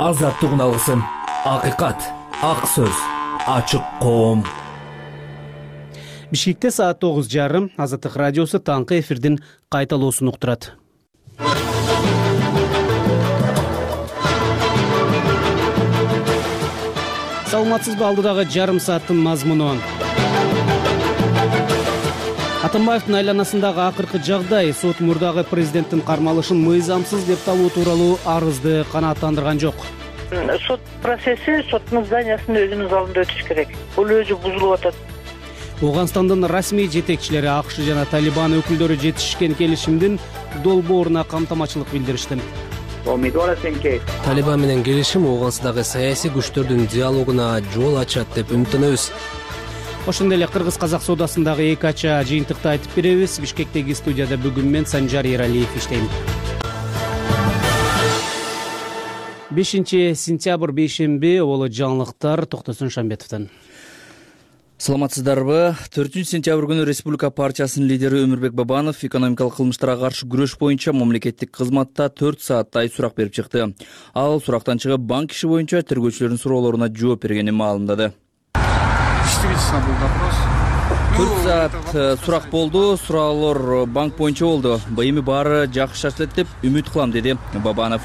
азаттыгын алсын. Акыйкат, ак сөз, ачык коом. Бишкекте саат 9:30 Азаттык радиосу таңкы эфирдин кайталоосун уктурат. Саламатсызбы, алдыдагы жарым сааттын мазмуну. Атамбаевдин айланасындагы акыркы жагдай сот мурдагы президенттин кармалышын мыйзамсыз деп табуу тууралуу арызды канааттандырган жок. Сот процесси соттун зданиясында өзүнүн залында өтүш керек. Бул өзү бузулуп атат. Ооганстандын расмий жетекчилери АКШ жана Талибан өкүлдөрү жетишкен келишимдин долбооруна камтамачылык билдиришти. Талибан менен келишим Ооганстандагы саясий күчтөрдүн диалогуна жол ачат деп үмүттөнөбүз. Ошондой эле Кыргыз-Казак соодасындагы эки ача жыйынтыкты айтып беребиз. Бишкектеги студияда бүгүн мен Санжар Эралиев иштейм. 5 сентябрь бейшемби, болот жаңылыктар Токтосун Шамбетовдон. Саламатсыздарбы? 4 сентябрь күнү Республика партиясынын лидери Өмүрбек Бабанов экономикалык кылмыштарга каршы күрөш боюнча мамлекеттик кызматта 4 сааттай сурак берип чыкты. Ал сурактан чыгып банк иши боюнча тергөөчүлөрдүн суроолоруна жооп бергенин маалымдады. 4 саат сурак болду, суроолор банк боюнча болду. Эми баары жакшы шашылат деп үмүт кылам, деди Бабанов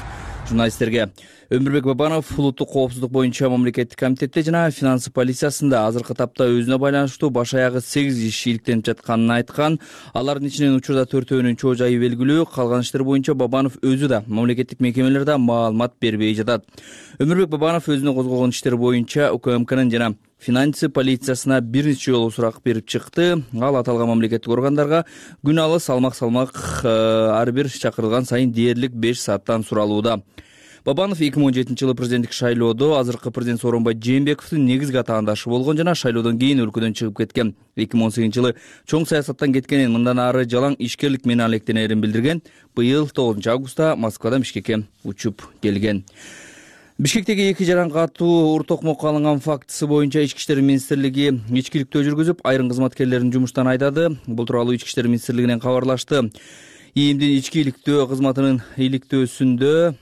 журналисттерге. Өмүрбек Бабанов улуттук коопсуздук боюнча мамлекеттик комитетте жана финансы полициясында азыркы тапта өзүнө байланыштуу баш аягы 8 иш иликтенип жатканын айткан. Алардын ичинен учурда 4-өөнүн чоо жайы белгилүү. Калган иштер боюнча Бабанов өзү да мамлекеттик мекемелерде маалымат бербей жатат. Өмүрбек Бабанов өзүнө козголгон иштер боюнча УКМКнын жана финансы полициясына бир нече жолу сурак берип чыкты. Ал аталган мамлекеттик органдарга күн алыс салмак ар бир чакырылган сайын дээрлик 5 сааттан суралууда. Бабанов 2017 жылы президенттик шайлоодо азыркы президент Сооронбай Жээнбековдун негизги атаандашы болгон жана шайлоодон кийин өлкөдөн чыгып кеткен. 2018 жылы чоң саясаттан кеткенин, мындан ары жалаң ишкерлик менен алектенерин билдирген. Быйыл 9 августта Москвадан Бишкекке учуп келген. Бишкектеги эки жаран катуу ур токмокко алынган фактысы боюнча Ички иштер министрлиги ичкиликтөө жүргүзүп, айрым кызматкерлерин жумуштан айдады. Бул тууралуу Ички иштер министрлигинен кабарлашты. ИИМдин ичкиликтөө кызматынын иликтөөсүндө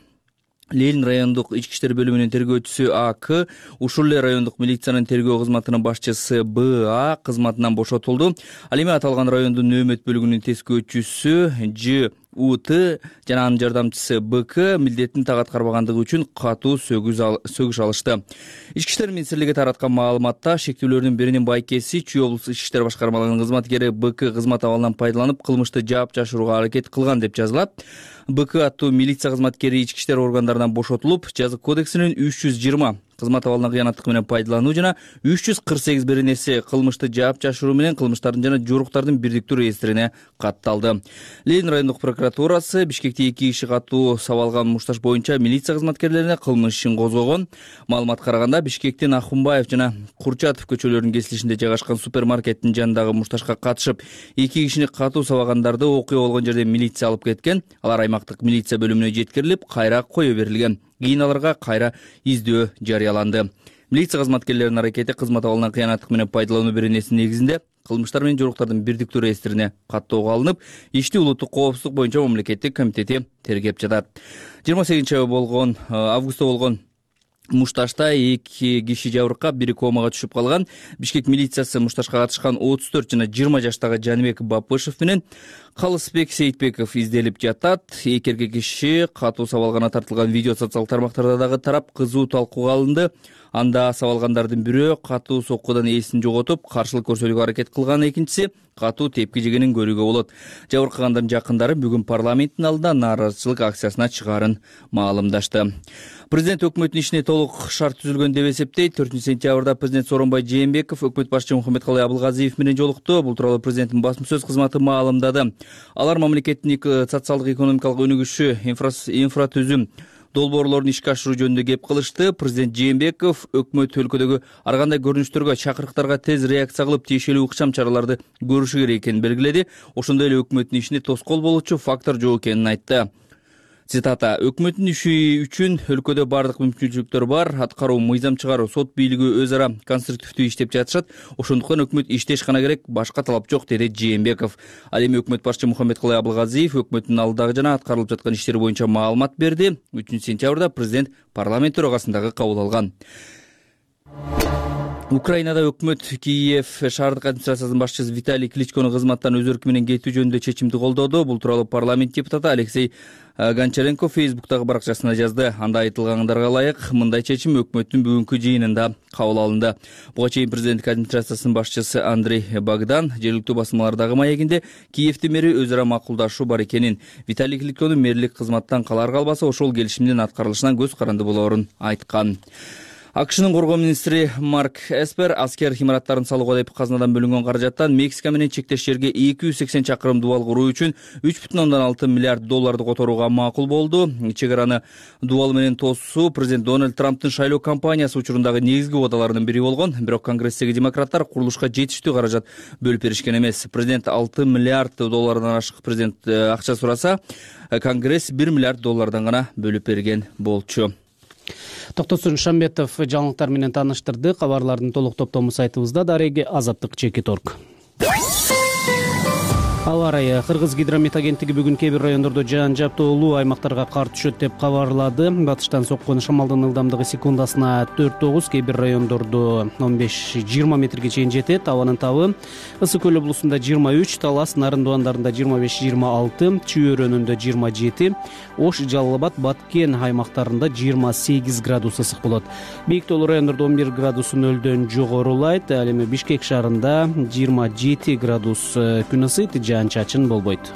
Ленин райондук ички иштер бөлүмүнүн тергөөчүсү АК, ушул эле райондук милициянын тергөө кызматынын башчысы БА кызматынан бошотулду. Ал эми аталган райондун нөөмөт бөлүгүнүн тескөөчүсү ЖУТ жана анын жардамчысы БК милдетин так аткарбагандыгы үчүн катуу сөгүш алышты. Ички иштер министрлиги тараткан маалыматта шектүүлөрдүн биринин байкеси Чүй облустук ички иштер башкармалыгынын кызматкери БК кызмат абалынан пайдаланып кылмышты жаап жашырууга аракет кылган деп жазылат. БК аттуу милиция кызматкери ички иштер органдарынан бошотулуп, жазык кодексинин 320 кызмат абалына кыянаттык менен пайдалануу жана 348 беренеси кылмышты жаап жашыруу менен кылмыштардын жана жоруктардын бирдиктүү реестрине катталды. Ленин райондук прокуратурасы Бишкекте 2 киши катуу сабалган мушташ боюнча милиция кызматкерлерине кылмыш ишин козгогон. Маалыматка караганда Бишкектин Ахунбаев жана Курчатов көчөлөрүнүн кесилишинде жайгашкан супермаркеттин жанындагы мушташка катышып, 2 кишини катуу сабагандарды окуя болгон жерде милиция алып кеткен. Алар аймактык милиция бөлүмүнө жеткирилип, кайра кое берилген. Кийин аларга кайра издөө жарыяланды. Милиция кызматкерлеринин аракети кызмат абалынан кыянаттык менен пайдалануу беренесинин негизинде кылмыштар менен жоруктардын бирдиктүү реестрине каттоого алынып, ишти улуттук коопсуздук боюнча мамлекеттик комитети тергеп жатат. 28 августта болгон мушташта 2 киши жабыркап, бири комага түшүп калган. Бишкек милициясы мушташка катышкан 34 жана 20 жаштагы Жаныбек Бапышев менен Калысбек Сейитбеков изделип жатат. Эки эркек киши катуу сабалгана тартылган видео социалдык тармактарда дагы тарап, кызуу талкууга алынды. Анда сабалгандардын бирөө катуу соккудан эсин жоготуп, каршылык көрсөтүүгө аракет кылган, экинчиси катуу тепки жегенин көрүүгө болот. Жабыркагандардын жакындары бүгүн парламенттин алдында нааразычылык акциясына чыгаарын маалымдашты. Президент өкмөттүн ишине толук шарт түзүлгөн деп эсептейт. 4 сентябрда президент Сооронбай Жээнбеков өкмөт башчысы Мухаммедкалый Абылгазиев менен жолукту. Бул тууралуу президенттин басма сөз кызматы маалымдады. Алар мамлекеттин социалдык экономикалык өнүгүшү, инфратүзүм долбоорлорун ишке ашыруу жөнүндө кеп кылышты. Президент Жээнбеков өкмөт өлкөдөгү ар кандай көрүнүштөргө, чакырыктарга тез реакция кылып, тиешелүү ыкчам чараларды көрүшү керек экенин белгиледи. Ошондой эле өкмөттүн ишине тоскоол болуучу фактор жок экенин айтты. Цитата: өкмөттүн иши үчүн өлкөдө бардык мүмкүнчүлүктөр бар, аткаруу, мыйзам чыгаруу, сот бийлиги өз ара конструктивдүү иштеп жатышат, ошондуктан өкмөт иштеш гана керек, башка талап жок, деди Жээнбеков. Ал эми өкмөт башчы Мухаммедкалый Абылгазиев өкмөттүн алдагы жана аткарылып жаткан иштери боюнча маалымат берди. 3-сентябрда президент парламент төрагасындагы кабыл алган. Украинада өкмөт Киев шаардык администрациясынын башчысы Виталий Кличкону кызматтан өз өркү менен кетүү жөнүндө чечимди колдоду. Бул тууралуу парламент депутаты Алексей Гончаренко Фейсбуктагы баракчасына жазды. Анда айтылгандарга ылайык мындай чечим өкмөттүн бүгүнкү жыйынында кабыл алынды. Буга чейин президенттик администрациясынын башчысы Андрей Богдан жергиликтүү басылмалардагы маегинде Киевдин мэри өз ара макулдашуу бар экенин, Виталий Кличкону мэрлик кызматтан калар калбаса ошол келишимдин аткарылышынан көз каранды болоорун айткан. АКШнын коргоо министри Марк Эспер аскер имараттарын салууга деп казынадан бөлүнгөн каражаттан Мексика менен чектеш жерге 280 чакырым дубал куруу үчүн 3,6 миллиард долларды которууга макул болду. Чек араны дубал менен тосуу президент Дональд Трамптын шайлоо кампаниясы учурундагы негизги убадаларынын бири болгон. Бирок Конгресстеги демократтар курулушка жетиштүү каражат бөлүп беришкен эмес. Президент 6 миллиард доллардан ашык президент акча сураса, Конгресс 1 миллиард доллардан гана бөлүп берген болчу. Токтосун Шамбетов жаңылыктар менен тааныштырды. Кабарлардын толук топтому сайтыбызда. Дареги Азаттык.org. Аба ырайы. Кыргыз гидромет агенттиги бүгүн кээ бир райондордо жаан жаптоолуу аймактарга кар түшөт деп кабарлады. Батыштан соккон шамалдын ылдамдыгы секундасына 4-9, кээ бир райондордо 15-20 метрге чейин жетет. Абанын табы Ысык көл облусунда 23, Талас, Нарын дуандарында 25-26, Чүй өрөөнүндө 27, Ош, Жалал Абад, Баткен аймактарында 28 градус ысык болот. Бийик тоолуу райондордо 11 градус нөлдөн жогорулайт. Ал эми Бишкек шаарында 27 градус күн ысыйт, чачын болбойт.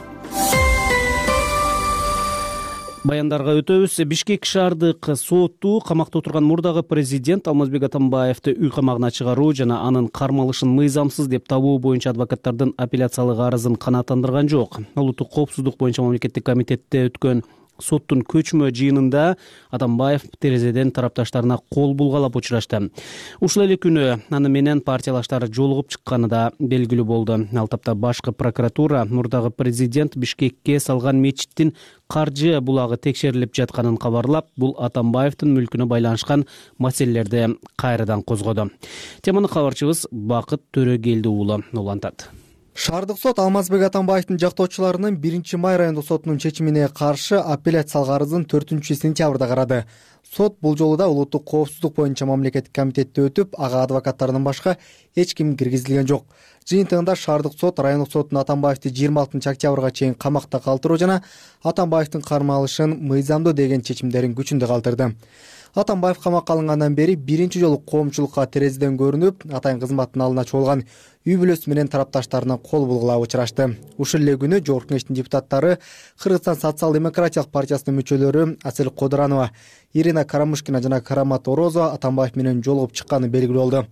Баяндарга өтөбүз. Бишкек шаардык соту камакта отурган мурдагы президент Алмазбек Атамбаевди үй камагына чыгаруу жана анын кармалышын мыйзамсыз деп табуу боюнча адвокаттардын апелляциялык арызын канааттандырган жок. Улуттук коопсуздук боюнча мамлекеттик комитетте өткөн соттун көчмө жыйынында Атамбаев терезеден тарапташтарына кол булгалап учурашты. Ушул эле күнү аны менен партиялаштары жолугуп чыкканы да белгилүү болду. Ал тапта башкы прокуратура мурдагы президент Бишкекке салган мечиттин каржы булагы текшерилип жатканын кабарлап, бул Атамбаевдин мүлкүнө байланышкан маселелерди кайрадан козгоду. Теманы кабарчыбыз Бакыт Төрөгелди уулу улантат. Шаардык сот Алмазбек Атамбаевдин жактоочуларынын 1-май райондук сотунун чечимине каршы апелляциялык арызын 4-сентябрда карады. Сот бул жолу да улуттук коопсуздук боюнча мамлекеттик комитетте өтүп, ага адвокаттарынан башка эч ким киргизилген жок. Жыйынтыгында шаардык сот райондук соттун Атамбаевди 26-октябрга чейин камакта калтыруу жана Атамбаевдин кармалышын мыйзамдуу деген чечимдерин күчүндө калтырды. Атамбаев камакка алынгандан бери биринчи жолу коомчулукка терезеден көрүнүп, атайын кызматтын алдына чогулган үй бүлөсү менен тарапташтарына кол булгалап учурашты. Ушул эле күнү Жогорку Кеңештин депутаттары, Кыргызстан социал-демократиялык партиясынын мүчөлөрү Асель Кодуранова, Ирина Карамушкина жана Карамат Орозова Атамбаев менен жолугуп чыкканы белгилүү болду.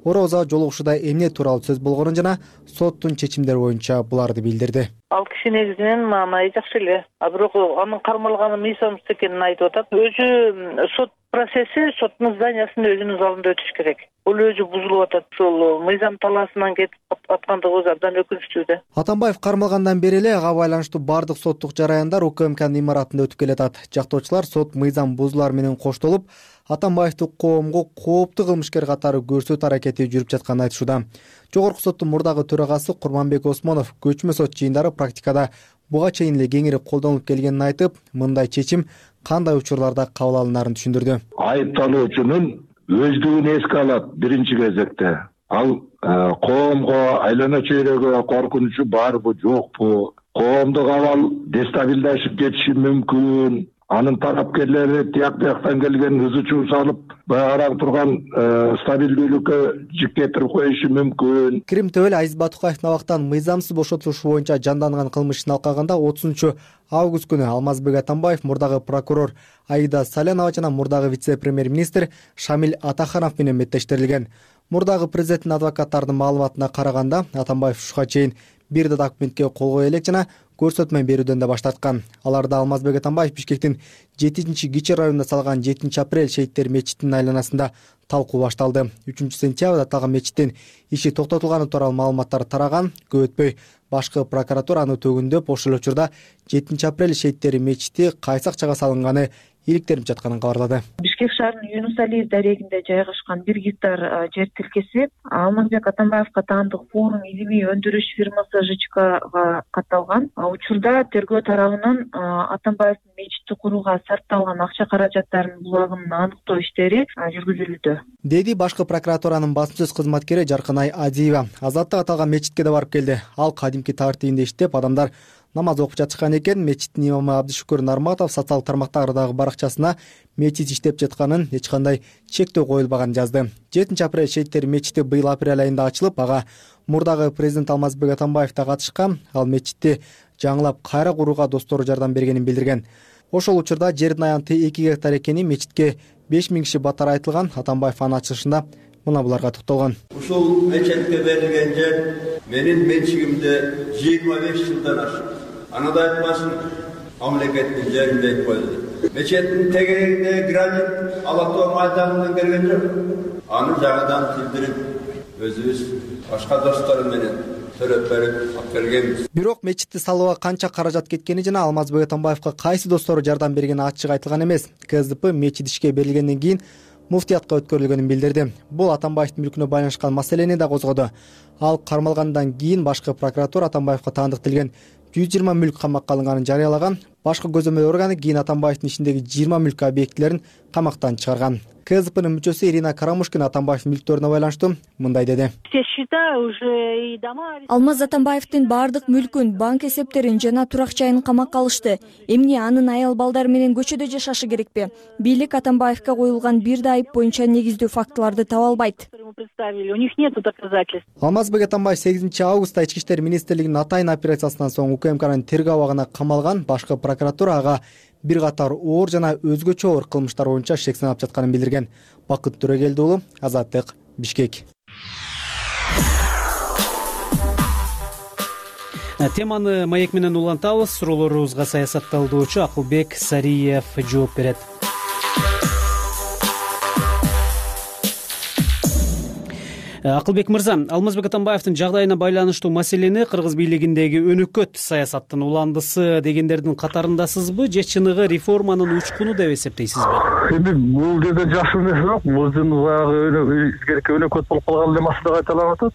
Орозова жолугушууда эмне тууралуу сөз болгонун жана соттун чечимдери боюнча буларды билдирди. Ал киши негизинен маанай жакшы эле. Бирок анын кармалганы мыйзамсыз экенин айтып атат. Өзү сот процесси соттун зданиясынын өзүнүн залында өтүш керек. Бул өзү бузулуп атат. Ошол мыйзам талаасынан кетип аткандыгыбыз абдан өкүнүчтүү да. Атамбаев кармалгандан бери эле ага байланыштуу бардык соттук жараяндар УКМКнын имаратында өтүп келатат. Жактоочулар сот мыйзам бузуулар менен коштолуп, Атамбаевди коомго кооптуу кылмышкер катары көрсөтүү аракети жүрүп жатканын айтышууда. Жогорку соттун мурдагы төрагасы Курманбек Осмонов көчмө сот жыйындары практикада буга чейин эле кеңири колдонулуп келгенин айтып, мындай чечим кандай учурларда кабыл алынарын түшүндүрдү. Айыпталуучунун өздүгүн эске алат биринчи кезекте. Ал коомго, айлана чөйрөгө коркунучу барбы, жокпу? Коомдук абал дестабилдашып кетиши мүмкүн. Анын тарапкерлери тияк бияктан келген ызы чуу салып, баягыраак турган стабилдүүлүккө жик кетирип коюшу мүмкүн. Крим төбөл Азиз Батукаевдин абактан мыйзамсыз бошотулушу боюнча жанданган кылмыш ишин алкаганда 30-август күнү Алмазбек Атамбаев мурдагы прокурор Аида Салянова жана мурдагы вице-премьер-министр Шамиль Атаханов менен беттештирилген. Мурдагы президенттин адвокаттарынын маалыматына караганда, Атамбаев ушуга чейин бир да документке кол кое элек жана көрсөтмө берүүдөн да баш тарткан. Аларда Алмазбек Атамбаев Бишкектин 7-Кичи районунда салган 7 апрель шейиттер мечитинин айланасында талкуу башталды. 3-сентябрда аталган мечиттин иши токтотулганы тууралуу маалыматтар тараган. Көп өтпөй башкы прокуратура аны төгүндөп, ошол учурда 7 апрель шейиттери мечити кайсы акчага салынганы иликтелип жатканын кабарлады. Бишкек шаарынын Юнус Алиев дарегинде жайгашкан 1 гектар жер тилкеси Алмазбек Атамбаевка таандык форум илимий өндүрүш фирмасы ЖЧКга катталган. Учурда тергөө тарабынан Атамбаевдин мечитти курууга сарпталган акча каражаттарынын булагын аныктоо иштери жүргүзүлүүдө, деди башкы прокуратуранын басма сөз кызматкери Жаркынай Адиева. Азаттык аталган мечитке да барып келди. Ал кадимки тартибинде иштеп, адамдар намаз окуп жатышкан экен. Мечиттин имамы Абдышүкүр Нарматов социалдык тармактардагы баракчасына мечит иштеп жатканын, эч кандай чектөө коюлбаганын жазды. 7 апрель шейиттер мечити быйыл апрель айында ачылып, ага мурдагы президент Алмазбек Атамбаев да катышкан. Ал мечитти жаңылап кайра курууга достору жардам бергенин билдирген. Ошол учурда жердин аянты 2 гектар экени, мечитке 5000 киши батар айтылган. Атамбаев анын ачылышында мына буларга токтолгон. Ушул мечетке берилген жер менин менчигимде 25 жылдан ашык. Анада айтпасын, мамлекеттин жерин дейт коюлду. Мечеттин тегерегинде гранит Алатоо майданынан келген жок. Аны жаңыдан тилдирип, өзүбүз башка достору менен төрөп берип алып келгенбиз. Бирок мечитти салууга канча каражат кеткени жана Алмазбек Атамбаевка кайсы достору жардам бергени ачык айтылган эмес. КСДП мечит ишке берилгенден кийин муфтиятка өткөрүлгөнүн билдирди. Бул Атамбаевдин мүлкүнө байланышкан маселени да козгоду. Ал кармалгандан кийин башкы прокуратура Атамбаевка таандыкталган 120 мүлк камакка алынганын жарыялаган. Башкы көзөмөл органы кийин Атамбаевдин ишиндеги 20 мүлк объектилерин камактан чыгарган. КСДПнын мүчөсү Ирина Карамушкин Атамбаевдин мүлктөрүнө байланыштуу мындай деди. Алмаз Атамбаевдин баардык мүлкүн, банк эсептерин жана турак жайын камакка алышты. Эмне анын аял балдары менен көчөдө жашашы керекпи? Бийлик Атамбаевка коюлган бир да айып боюнча негиздүү фактыларды таба албайт. У них нет доказательств. Алмазбек Атамбаев 8 августта Ички иштер министрлигинин атайын операциясынан соң УКМКнын тергөө абагына камалган. Башкы прокуратура ага бир катар оор жана өзгөчө оор кылмыштар боюнча шек санап жатканын билдирген. Бакыт Төрөгелди уулу, Азаттык, Бишкек. Теманы маек менен улантабыз. Суроолорубузга саясатталдоочу Акылбек Сариев жооп берет. Акылбек мырза, Алмазбек Атамбаевдин жагдайына байланыштуу маселени кыргыз бийлигиндеги өнөкөт саясаттын уландысы дегендердин катарындасызбы, же чыныгы реформанын учкуну деп эсептейсизби? Эми бул жерде жакшы нерсе жок. Бул баягы изгерке өнөкөт болуп калган эле маселе кайталанып атат.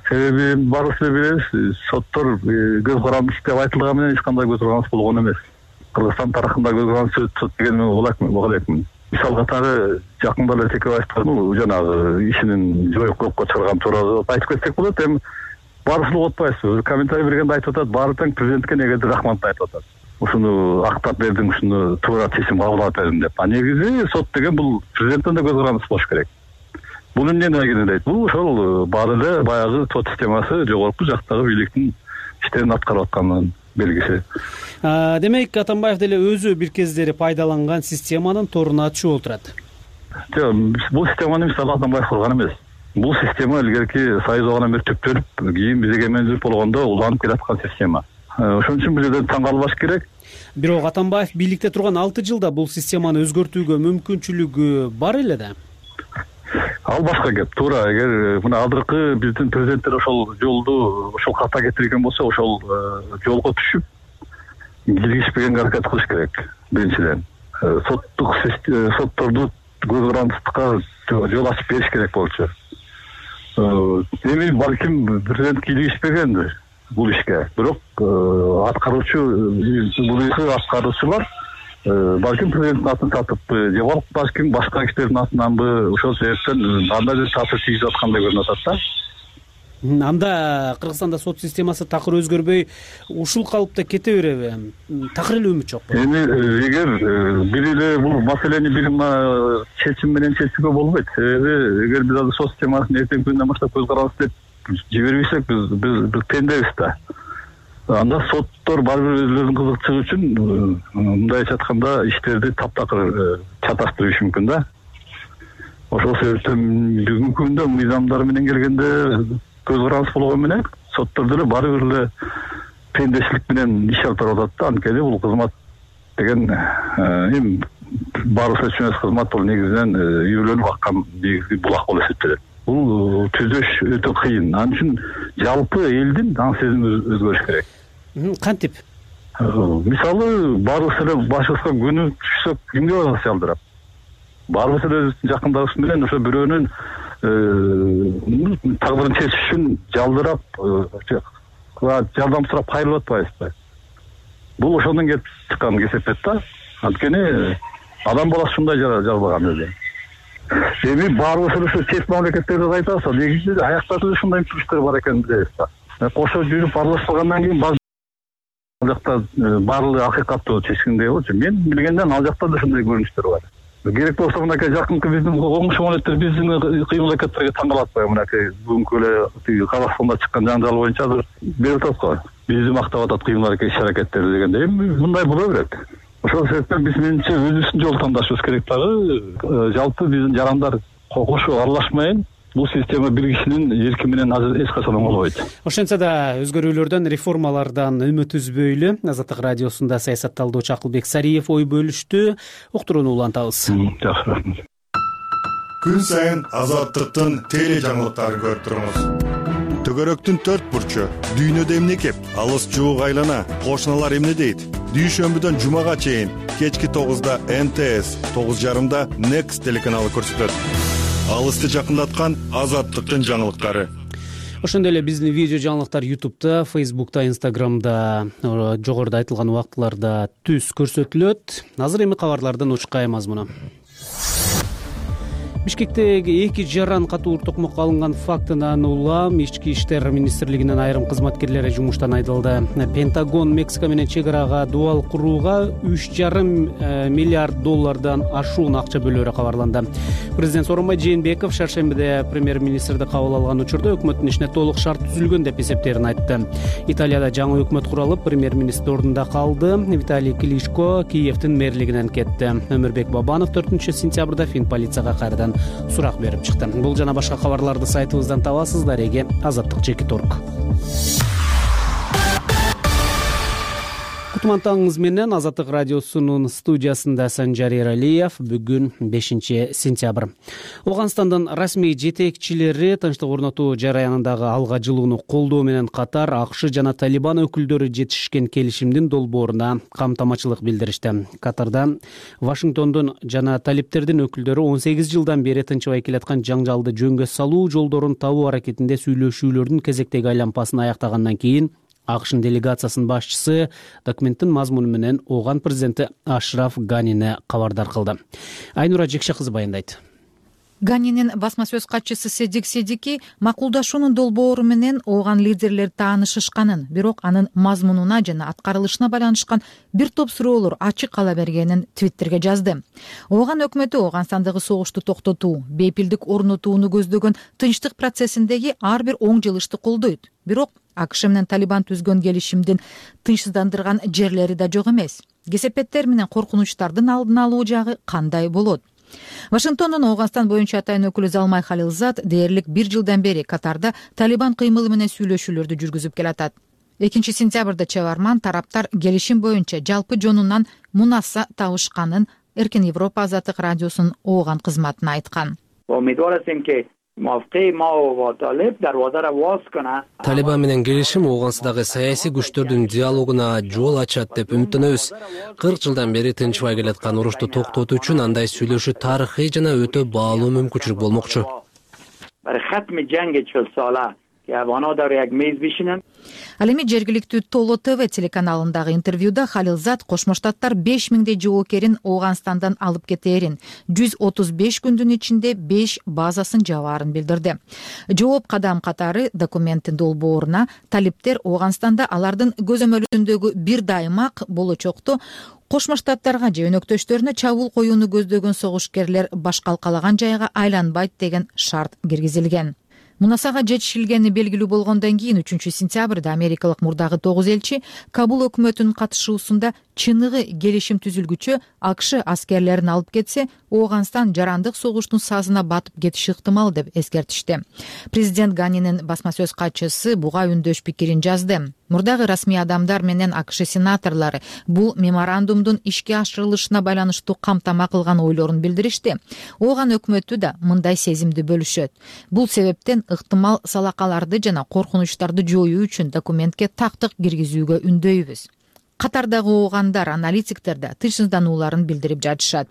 Себеби баарыбыз билебиз, соттор көз карандыс деп айтылган менен эч кандай көз карандыс болгон эмес. Кыргызстан тарыхында көз карандыс сот деген болот экен. Мисал катары жакында эле Текебаевдин жанагы ишинин жойкоопко чыгарган тууралуу айтып кетсек болот. Эми баарыбызды угутпайбыз. Комментарий бергенде айтып атат, баары тең президентке негизи рахмат айтып атат. Ушуну актап бердиң, ушуну туура чечим кабыл алып бердиң деп. А негизи сот деген бул президенттен да көз карандыс болуш керек. Бул эмнени айгинелейт? Бул ошол баары эле баягы сот системасы жогорку жактагы бийликтин иштерин аткарып атканынын белгиси. Демек, Атамбаев деле өзү бир кездери пайдаланган системанын торуначы болуп турат. Жок, бул системаны мисалы Атамбаев курган эмес. Бул система илгерки Союз абагынан бери түптөлүп, кийин бизге менчүлүк болгондо уланып келаткан система. Ошон үчүн бул жерде таң калбаш керек. Бирок Атамбаев бийликте турган 6 жылда бул системаны өзгөртүүгө мүмкүнчүлүгү бар эле да. Ал башка кеп. Туура, эгер мына азыркы биздин президенттер ошол жолду, ошол ката кетирген болсо, ошол жолго түшүп киргизбегенге аракет кылыш керек. Биринчиден, сотторду көз карандыстыкка жол ачып бериш керек болчу. Эми балким президент киргизбегендир бул ишке. Бирок аткаруучулар балким президенттин атын татыппы, же балким башка кишилердин атынанбы, ошол себептен андай бир таасир тийгизип аткандай көрүнүп атат да. Анда Кыргызстанда сот системасы такыр өзгөрбөй ушул калыпта кете береби? Такыр эле үмүт жокпу? Эми эгер бир эле бул маселени бир чечим менен чечүүгө болбойт. Себеби эгер биз азыр сот системасын эртеңки күндөн баштап көз карабыз деп жибербесек, биз пендебиз да. Анда соттор баары бир өзүлөрүнүн кызыкчылыгы үчүн мындайча айтканда иштерди таптакыр чаташтырышы мүмкүн да. Ошол себептен бүгүнкү күндө мыйзамдар менен келгенде көз карандыс болгон менен соттордо эле баары бир эле пендечилик менен иш алып барып атат да. Анткени бул кызмат деген эми баарыбызга түшүнөбүз, кызмат бул негизинен үйлөнүп аккан негизги булак болуп эсептелет. Бул түзөш өтө кыйын. Ал үчүн жалпы элдин аң сезими өзгөрүш керек. Кантип? Мисалы, баарыбыз эле башыбызга күнү түшсөк кимге барасыз алдырап? Баарыбыз эле өзүбүздүн жакындарыбыз менен ошо бирөөнүн тагдырын чечиш үчүн жалдырап, жардам сурап кайрылып атпайбызбы? Бул ошондон келип чыккан кесепет да. Анткени адам баласы ушундай жаралган өзү. Эми баарыбыз эле ушу чет мамлекеттерди айтабыз, негизи аяктарда ушундай мүмкүнчүлүктөр бар экенин билебиз да. Кошо жүрүп аралашпагандан кийин ал жакта баардыгы акыйкаттуу чечкендей болчу. Мен билгенден ал жакта да ушундай көрүнүштөр бар. Керек болсо мынакей жакынкы биздин коңшу мамлекеттер биздин кыйын мамлекеттерге таң калатпайбы? Мынакей бүгүнкү эле Казакстанда чыккан жаңжал боюнча азыр берип атат го. Бизди мактап атат кыйын иш-аракеттерди дегенде. Эми мындай боло берет. Ошол себептен биз менимче өзүбүздүн жолду тандашыбыз керек дагы. Жалпы биздин жарандар кошо аралашмайын. Бул система бир кишинин эрки менен эч качан оңолбойт. Ошентсе да өзгөрүүлөрдөн, реформалардан үмүт үзбөйлү. Азаттык радиосунда саясат талдоочу Акылбек Сариев ой бөлүштү. Уктурууну улантабыз. Жакшы, рахмат. Күн сайын Азаттыктын теле жаңылыктарын көрүп туруңуз. Төгөрөктүн 4 бурчу, дүйнөдө эмне кеп, алыс жуук айлана, кошуналар эмне дейт? Дүйшөмбүдөн жумага чейин кечки 9-да НТС, 9:30-да Next телеканалы көрсөтөт. Алысты жакындаткан Азаттыктын жаңылыктары. Ошондой эле биздин видео жаңылыктар YouTube'да, Facebook'та, Instagram'да жогоруда айтылган убактыларда түз көрсөтүлөт. Азыр эми кабарлардын учкай мазмуну. Бишкектеги 2 жаран катуу токмокко алынган фактынан улам Ички иштер министрлигинин айрым кызматкерлери жумуштан айдалды. Пентагон Мексика менен чек арага дуал курууга $3,5 миллиард ашуун акча бөлөөрү кабарланды. Президент Сооронбай Жээнбеков шаршембиде премьер-министрди кабыл алган учурда өкмөттүн ишине толук шарт түзүлгөн деп эсептерин айтты. Италияда жаңы өкмөт куралып, премьер-министр ордунда калды. Виталий Кличко Киевдин мэрлигинен кетти. Өмүрбек Бабанов 4-сентябрда Фин полицияга кайрадан сурак берип чыкты. Бул жана башка кабарларды сайтыбыздан табасыздар. Эге Азаттык Жеки.орг. Кутмантаңыз менен Азаттык радиосунун студиясында Санжар Эралиев. Бүгүн 5-сентябрь. Ооганстандын расмий жетекчилери тынчтык орнотуу жараянындагы алга жылууну колдоо менен катар АКШ жана Талибан өкүлдөрү жетишкен келишимдин долбооруна камтамачылык билдиришти. Катарда Вашингтондун жана талиптердин өкүлдөрү 18 жылдан бери тынчыбай келаткан жаңжалды жөнгө салуу жолдорун табуу аракетинде сүйлөшүүлөрдүн кезектеги айланпасын аяктагандан кийин АКШнын делегациясынын башчысы документтин мазмуну менен Ооган президенти Ашраф Ганини кабардар кылды. Айнура Жекше кызы баяндайт. Ганинин басма сөз катчысы Седик Седики макулдашуунун долбоору менен Ооган лидерлер таанышышканын, бирок анын мазмунуна жана аткарылышына байланышкан бир топ суроолор ачык кала бергенин Твиттерге жазды. Ооган өкмөтү Ооганстандагы согушту токтотуу, бейпилдик орнотууну көздөгөн тынчтык процессиндеги ар бир оң жылышты колдойт. Бирок АКШ менен Талибан түзгөн келишимдин тынчсыздандырган жерлери да жок эмес. Кесепеттер менен коркунучтардын алдын алуу жагы кандай болот? Вашингтондун Ооганстан боюнча атайын өкүлү Залмай Халилзад дээрлик 1 жылдан бери Катарда Талибан кыймылы менен сүйлөшүүлөрдү жүргүзүп келатат. 2-сентябрда чыгарман тараптар келишим боюнча жалпы жонунан мунаса табышканын Эркин Европа Азаттык радиосунун Ооган кызматына айткан. Талибан менен келишим Ооганстандагы саясий күчтөрдүн диалогуна жол ачат деп үмүттөнөбүз. 40 жылдан бери тынчбай келаткан урушту токтотуу үчүн андай сүйлөшүү тарыхый жана өтө баалуу мүмкүнчүлүк болмокчу. Ал эми жергиликтүү Толо ТВ телеканалындагы интервьюда Халилзад Кошмо Штаттар 5000 жоокерин Ооганстандан алып кетээрин, 135 күндүн ичинде 5 базасын жабаарын билдирди. Жооп кадам катары документтин долбооруна талиптер Ооганстанда алардын көзөмөлүндөгү бир даймак болочокто Кошмо Штаттарга же өнөктөштөрүнө чабуул коюуну көздөгөн согушкерлер башкалкалаган жайга айланбайт деген шарт киргизилген. Мунасага жетишилгени белгилүү болгондон кийин 3-сентябрда америкалык мурдагы 9 элчи Кабул өкмөтүнүн катышуусунда чыныгы келишим түзүлгүчө АКШ аскерлерин алып кетсе, Ооганстан жарандык согуштун сазына батып кетиши ыктымал деп эскертишти. Президент Ганинин басма сөз катчысы буга үндөш пикирин жазды. Мурдагы расмий адамдар менен АКШ сенаторлору бул меморандумдун ишке ашырылышына байланыштуу камтама кылган ойлорун билдиришти. Ооган өкмөтү да мындай сезимди бөлүшөт. Бул себептен ыктымал салакаларды жана коркунучтарды жоюу үчүн документке тактык киргизүүгө үндөйбүз. Катардагы оогандар, аналитиктер да тынчсызданууларын билдирип жатышат.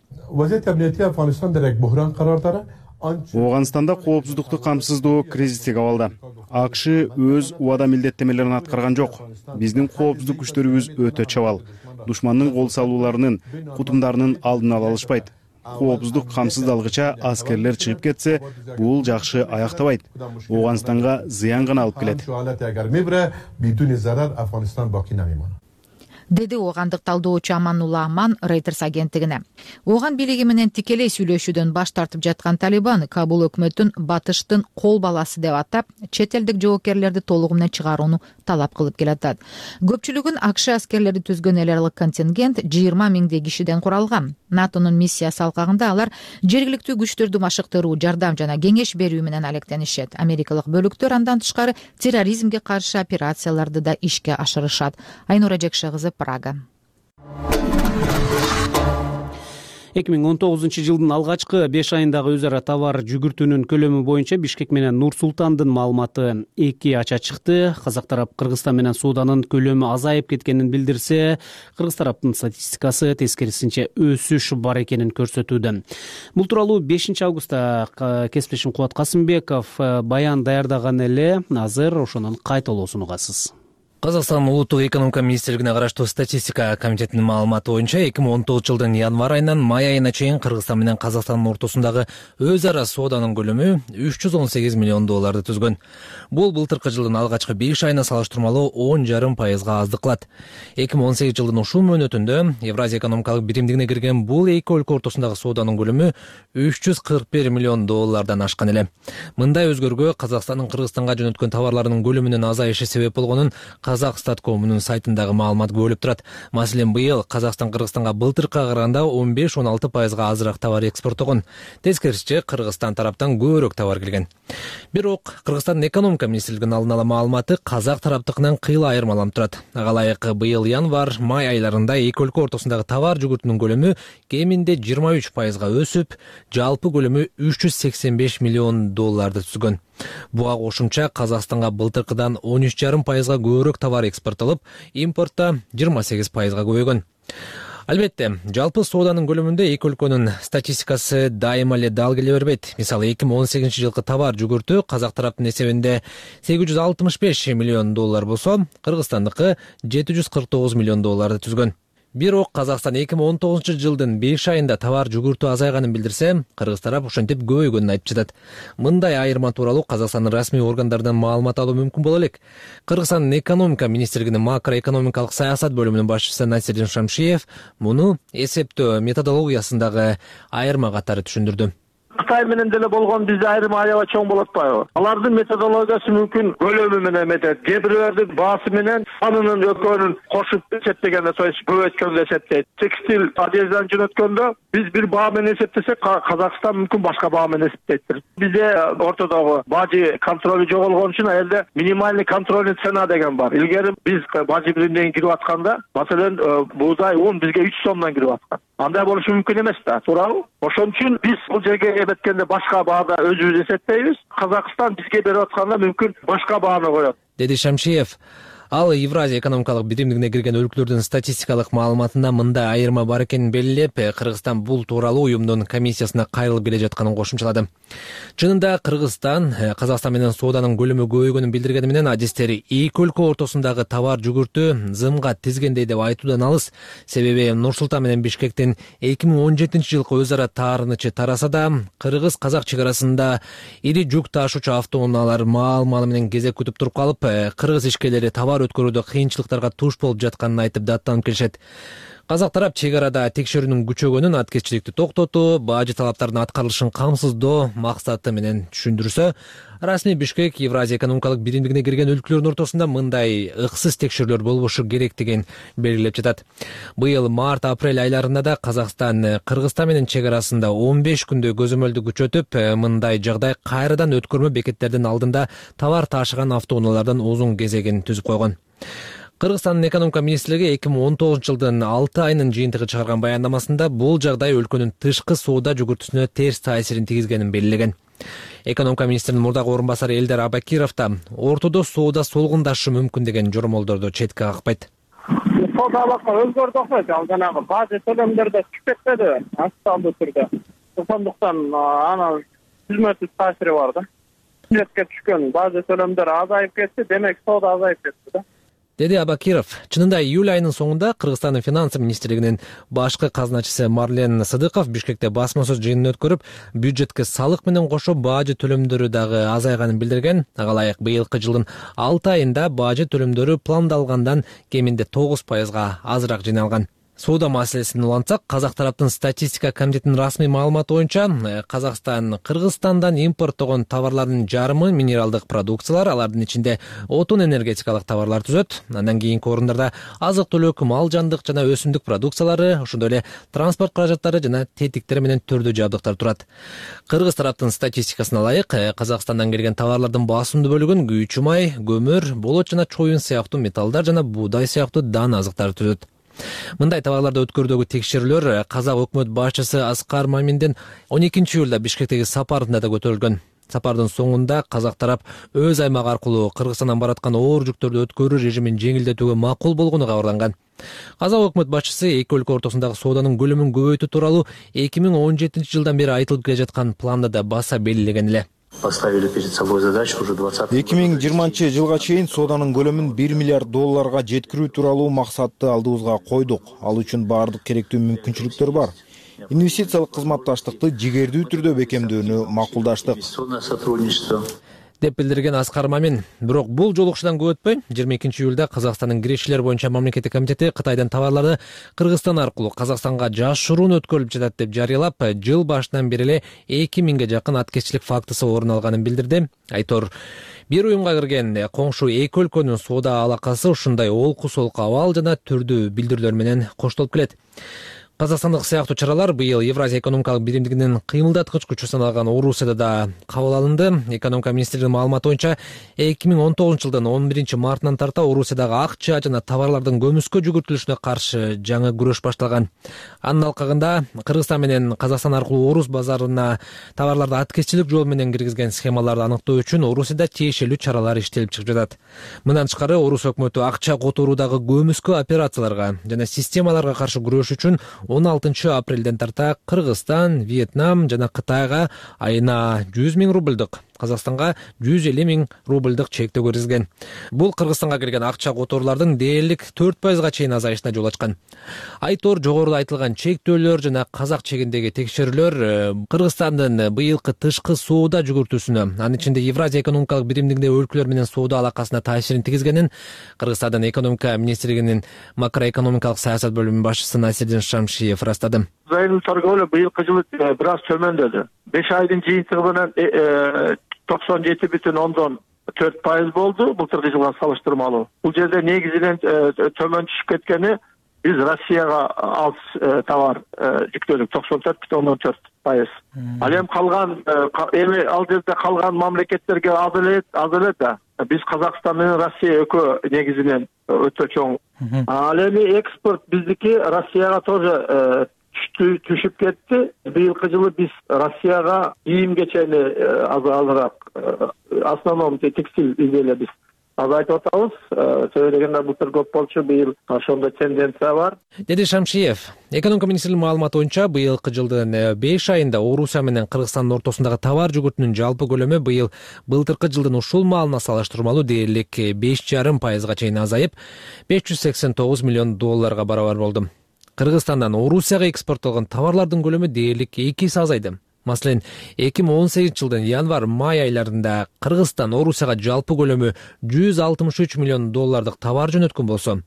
Ооганстанда коопсуздукту камсыздоо кризистик абалда. АКШ өз убада милдеттемелерин аткарган жок. Биздин коопсуздук күчтөрүбүз өтө чабал. Душмандын кол салууларынын, кутумдарынын алдын ала алышпайт. Коопсуздук камсыздалгыча аскерлер чыгып кетсе, бул жакшы аяктабайт. Ооганстанга зыян гана алып келет. Деди оогандык талдоочу Аманулла Аман Reuters агенттигине. Ооган бийлиги менен тикелей сүйлөшүүдөн баш тартып жаткан Талибан Кабул өкмөтүн батыштын кол баласы деп атап, чет элдик жоокерлерди толугу менен чыгарууну талап кылып келатат. Көпчүлүгүн АКШ аскерлери түзгөн эл аралык контингент 20 миңдей кишиден куралган. НАТОнун миссиясы алкагында алар жергиликтүү күчтөрдү машыктыруу, жардам жана кеңеш берүү менен алектенишет. Америкалык бөлүктөр андан тышкары терроризмге каршы операцияларды да ишке ашырышат. Айнура Жекшегызы, Прага. 2019-жылдын алгачкы 5 айындагы өз ара товар жүгүртүүнүн көлөмү боюнча Бишкек менен Нур-Султандын маалыматы 2 ача чыкты. Казак тарап Кыргызстан менен сооданын көлөмү азайып кеткенин билдирсе, Кыргыз тараптын статистикасы тескерисинче өсүш бар экенин көрсөтүүдө. Бул тууралуу 5 августта кесиптешим Кубат Касымбеков баян даярдаган эле. Азыр ошонун кайталоосун угасыз. Казакстан улуттук экономика министрлигине караштуу статистика комитетинин маалыматы боюнча 2019-жылдын январь айынан май айына чейин Кыргызстан менен Казакстандын ортосундагы өз ара сооданын көлөмү $318 миллион түзгөн. Бул былтыркы жылдын алгачкы 5 айына салыштырмалуу 10,5% аздык кылат. 2018 жылдын ушул мөөнөтүндө Евразия экономикалык биримдигине кирген бул эки өлкө ортосундагы сооданын көлөмү $341 миллион ашкан эле. Мындай өзгөрүүгө Казакстандын Кыргызстанга жөнөткөн товарларынын көлөмүнүн азайышы себеп болгонун Казакстаткомунун сайтындагы маалымат бөлүп турат. Маселен, быйыл Казакстан Кыргызстанга былтыркыга караганда 15-16% азыраак товар экспорттогон. Тескерисинче, Кыргызстан тараптан көбүрөөк товар келген. Бирок Кыргызстандын экономика министрлигинин алдын ала маалыматы казак тараптыкынан кыйла айырмаланып турат. Ага ылайык быйыл январь, май айларында эки өлкө ортосундагы товар жүгүртүүнүн көлөмү кеминде 23% өсүп, жалпы көлөмү $385 миллион түзгөн. Буга кошумча Казакстанга былтыркыдан 13,5% көбүрөөк товар экспорттолуп, импортто 28% көбөйгөн. Албетте, жалпы сооданын көлөмүндө эки өлкөнүн статистикасы дайыма эле дал келе бербейт. Мисалы, 2018-жылкы товар жүгүртүү казак тараптын эсебинде $865 миллион болсо, Кыргызстандыкы $749 миллион түзгөн. Бирок Казакстан 2019-жылдын 5 айында товар жүгүртүү азайганын билдирсе, Кыргыз тарап ошентип көбөйгөнүн айтып жатат. Мындай айырма тууралуу Казакстандын расмий органдарынан маалымат алуу мүмкүн боло элек. Кыргызстандын экономика министрлигинин макроэкономикалык саясат бөлүмүнүн башчысы Насирдин Шамшиев муну эсептөө методологиясындагы айырма катары түшүндүрдү. Кытай менен деле болгон бизде айрым аябай чоң болуп атпайбы? Алардын методологиясы мүмкүн көлөмү менен эметет. Кээ бирлердин баасы менен санынын экөөнүн кошуп эсептегенде, көбөйткөндө эсептейт. Текстиль, одежданы жөнөткөндө биз бир баа менен эсептесек, Казакстан мүмкүн башка баа менен эсептейт. Бизде ортодогу бажы контролу жоголгон үчүн элде минимальный контрольный цена деген бар. Илгери биз бажы биримден кирип атканда, маселен, бууздай, un бизге 3 сомдон кирип аткан. Андай болушу мүмкүн эмес да, туурабы? Ошон үчүн биз бул жерге эметкенде башка баада өзүбүз эсептейбиз. Казакстан бизге берип атканда мүмкүн башка бааны коет, деди Шамшиев. Ал Евразия экономикалык биримдигине кирген өлкөлөрдүн статистикалык маалыматында мындай айырма бар экенин белгилеп, Кыргызстан бул тууралуу уюмдун комиссиясына кайрылып келе жатканын кошумчалады. Чынында Кыргызстан Казакстан менен сооданын көлөмү көбөйгөнүн билдиргени менен адистери эки өлкө ортосундагы товар жүгүртүү зымга тизгендей деп айтуудан алыс. Себеби Нур-Султан менен Бишкектин 2017-жылкы өз ара таарынычы тараса да, Кыргыз-Казак чек арасында ири жүк ташуучу автоунаалар маал-малы менен кезек күтүп туруп калып, кыргыз ишкерлери товар өткөрүүдө кыйынчылыктарга туш болуп жатканын айтып даттанып келишет. Казак тарап чек арада текшерүүнүн күчөгөнүн, аткезчиликти токтотуу, бажы талаптарынын аткарылышын камсыздоо максаты менен түшүндүрсө, расмий Бишкек Евразия экономикалык биримдигине кирген өлкөлөрдүн ортосунда мындай ыксыз текшерүүлөр болбошу керектигин белгилеп жатат. Быйыл март-апрель айларында да Казакстан Кыргызстан менен чек арасында 15 күндө көзөмөлдү күчөтүп, мындай жагдай кайрадан өткөрмө бекеттердин алдында товар ташыган автоунаалардын узун кезегин түзүп койгон. Кыргызстандын экономика министрлиги 2019 жылдын 6 айынын жыйынтыгы чыгарган баяндамасында бул жагдай өлкөнүн тышкы соода жүгүртүүсүнө терс таасирин тийгизгенин белгилеген. Экономика министринин мурдагы орун басары Элдар Абакиров да ортодо соода солгундашы мүмкүн деген жормолдорду четке какпайт. Соода алака өзгөрдү окшойт. Ал жанагы бажы төлөмдөрдө түшүп кетпеди актуалдуу түрдө. Ошондуктан анын түзмөсүз таасири бар да. Бюджетке түшкөн бажы төлөмдөр азайып кетти, демек соода азайып кетти да. Деди Абакиров. Чынында июль айынын соңунда Кыргызстандын финансы министрлигинин башкы казначысы Марлен Сыдыков Бишкекте басма сөз жыйынын өткөрүп, бюджетке салык менен кошо бажы төлөмдөрү дагы азайганын билдирген. Ага ылайык быйылкы жылдын 6 айында бажы төлөмдөрү пландалгандан кеминде 9% азыраак жыйналган. Соода маселесин улантсак, Казак тараптын статистика комитетинин расмий маалыматы боюнча, Казакстан Кыргызстандан импорттогон товарлардын жарымы минералдык продукциялар, алардын ичинде отун энергетикалык товарлар түзөт. Андан кийинки орундарда азык-түлүк, мал жандык жана өсүмдүк продукциялары, ошондой эле транспорт каражаттары жана тетиктер менен түрдүү жабдыктар турат. Кыргыз тараптын статистикасына ылайык, Казакстандан келген товарлардын басымдуу бөлүгүн күйүүчү май, көмүр, болот жана чоюн сыяктуу металлдар жана буудай сыяктуу дан азыктар түзөт. Мындай товарларды өткөрүүдөгү текшерүүлөр Казак өкмөт башчысы Аскар Маминдин 12 июлда Бишкектеги сапарында да көтөрүлгөн. Сапардын соңунда Казак тарап өз аймагы аркылуу Кыргызстандан бараткан оор жүктөрдү өткөрүү режимин жеңилдетүүгө макул болгону кабарланган. Казак өкмөт башчысы эки өлкө ортосундагы сооданын көлөмүн көбөйтүү тууралуу 2017 жылдан бери айтылып келе жаткан планды да баса белгилеген эле. Поставили перед собой задачу уже 2020 жылга чейин сооданын көлөмүн $1 миллиард жеткирүү тууралуу максатты алдыбызга койдук. Ал үчүн баардык керектүү мүмкүнчүлүктөр бар. Инвестициялык кызматташтыкты жигердүү түрдө бекемдөөнү макулдаштык, деп билдирген Аскар Мамин. Бирок бул жолугушуудан көп өтпөй 22 июлда Казакстандын киришчилер боюнча мамлекеттик комитети Кытайдан товарларды Кыргызстан аркылуу Казакстанга жашыруун өткөрүлүп жатат деп жарыялап, жыл башынан бери эле 2000ге жакын аткезчилик фактысы орун алганын билдирди. Айтор, бир уюмга кирген коңшу эки өлкөнүн соода алакасы ушундай олку-солку абал жана түрдүү билдирүүлөр менен коштолуп келет. Казакстандык сыяктуу чаралар быйыл Евразия экономикалык биримдигинин кыймылдаткыч күчү саналган Орусияда да кабыл алынды. Экономика министрлигинин маалыматы боюнча 2019 жылдын 11 мартынан тарта Орусиядагы акча жана товарлардын көмүскө жүгүртүлүшүнө каршы жаңы күрөш башталган. Анын алкагында Кыргызстан менен Казакстан аркылуу Орус базарына товарларды аткезчилик жол менен киргизген схемаларды аныктоо үчүн Орусияда тиешелүү чаралар иштелип чыгып жатат. Мындан тышкары Орус өкмөтү акча которуудагы көмүскө операцияларга жана системаларга каршы күрөш үчүн 16 апрелден тарта Кыргызстан, Вьетнам жана Кытайга айына 100 000 рубльдук, Казакстанга 150 000 рубльдук чектөө киргизген. Бул Кыргызстанга келген акча которуулардын дээрлик 4%га чейин азайышына жол ачкан. Айтор, жогоруда айтылган чектөөлөр жана Казак чегиндеги текшерүүлөр Кыргызстандын быйылкы тышкы соода жүгүртүүсүнө, анын ичинде Евразия экономикалык биримдигиндеги өлкөлөр менен соода алакасына таасирин тийгизгенин Кыргызстандын экономика министрлигинин макроэкономикалык саясат бөлүмүнүн башчысы Насирдин Шамшиев ырастады. Айрым торговля быйылкы жылы бир аз төмөндөдү. 5 айдын жыйынтыгы менен 97,4% болду былтыркы жылга салыштырмалуу. Бул жерде негизинен төмөн түшүп кеткени биз Россияга алыс товар жүктөлүк 94,4%. Ал эми калган ал жерде калган мамлекеттерге аз эле да. Биз Казакстан менен Россия экөө негизинен өтө чоң. Ал эми экспорт биздики Россияга тоже түшүп кетти. Быйылкы жылы биз Россияга кийим кечени азыраак, основном текстиль изделия биз азайтып атабыз. Сөйлөгөндө былтыр көп болчу, быйыл ошондой тенденция бар. Деди Шамшиев. Экономика министрлигинин маалыматы боюнча быйылкы жылдын 5 айында Орусия менен Кыргызстандын ортосундагы товар жүгүртүүнүн жалпы көлөмү быйыл былтыркы жылдын ушул маалына салыштырмалуу дээрлик 5,5% чейин азайып, $589 миллион барабар болду. Кыргызстандан Орусияга экспорттолгон товарлардын көлөмү дээрлик 2 эсе азайды. Маселен, 2018 жылдын январь-май айларында Кыргызстан Орусияга жалпы көлөмү 163 миллион доллардык товар жөнөткөн болсо,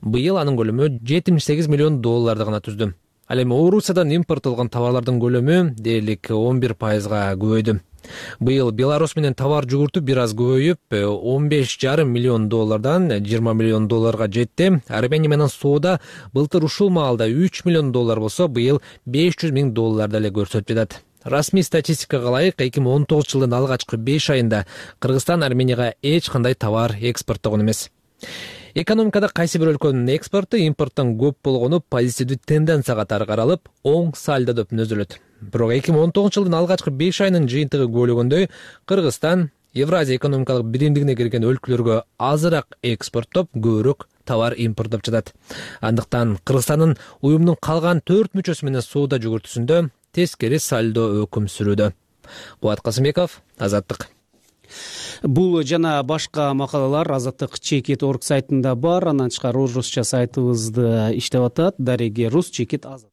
быйыл анын көлөмү 78 миллион долларды гана түздү. Ал эми Орусиядан импорттолгон товарлардын көлөмү дээрлик 11%га көбөйдү. Быйыл Беларусь менен товар жүгүртүү бир аз көбөйүп, 15,5 миллион доллардан 20 миллион долларга жетти. Армения менен соода былтыр ушул маалда 3 миллион доллар болсо, быйыл 500 миң долларды эле көрсөтүп жатат. Расмий статистикага ылайык 2019 жылдын алгачкы 5 айында Кыргызстан Арменияга эч кандай товар экспорттогон эмес. Экономикада кайсы бир өлкөнүн экспорту импорттон көп болгону позитивдүү тенденция катары каралып, оң сальдодо түзүлөт. Бирок 2019 жылдын алгачкы 5 айынын жыйынтыгы көлөгөндө Кыргызстан Евразия экономикалык биримдигине кирген өлкөлөргө азыраак экспорттоп, көбүрөөк товар импорттоп жатат. Андыктан Кыргызстандын уюмдун калган 4 мүчөсү менен соода жүгүртүүсүндө тескери сальдо өкүм сүрүүдө. Кубат Касымбеков, Азаттык. Бул жана башка макалалар Азаттык.org сайтында бар. Андан тышкары орусча сайтыбызды иштеп атат. Дареги Рус чекит Азаттык.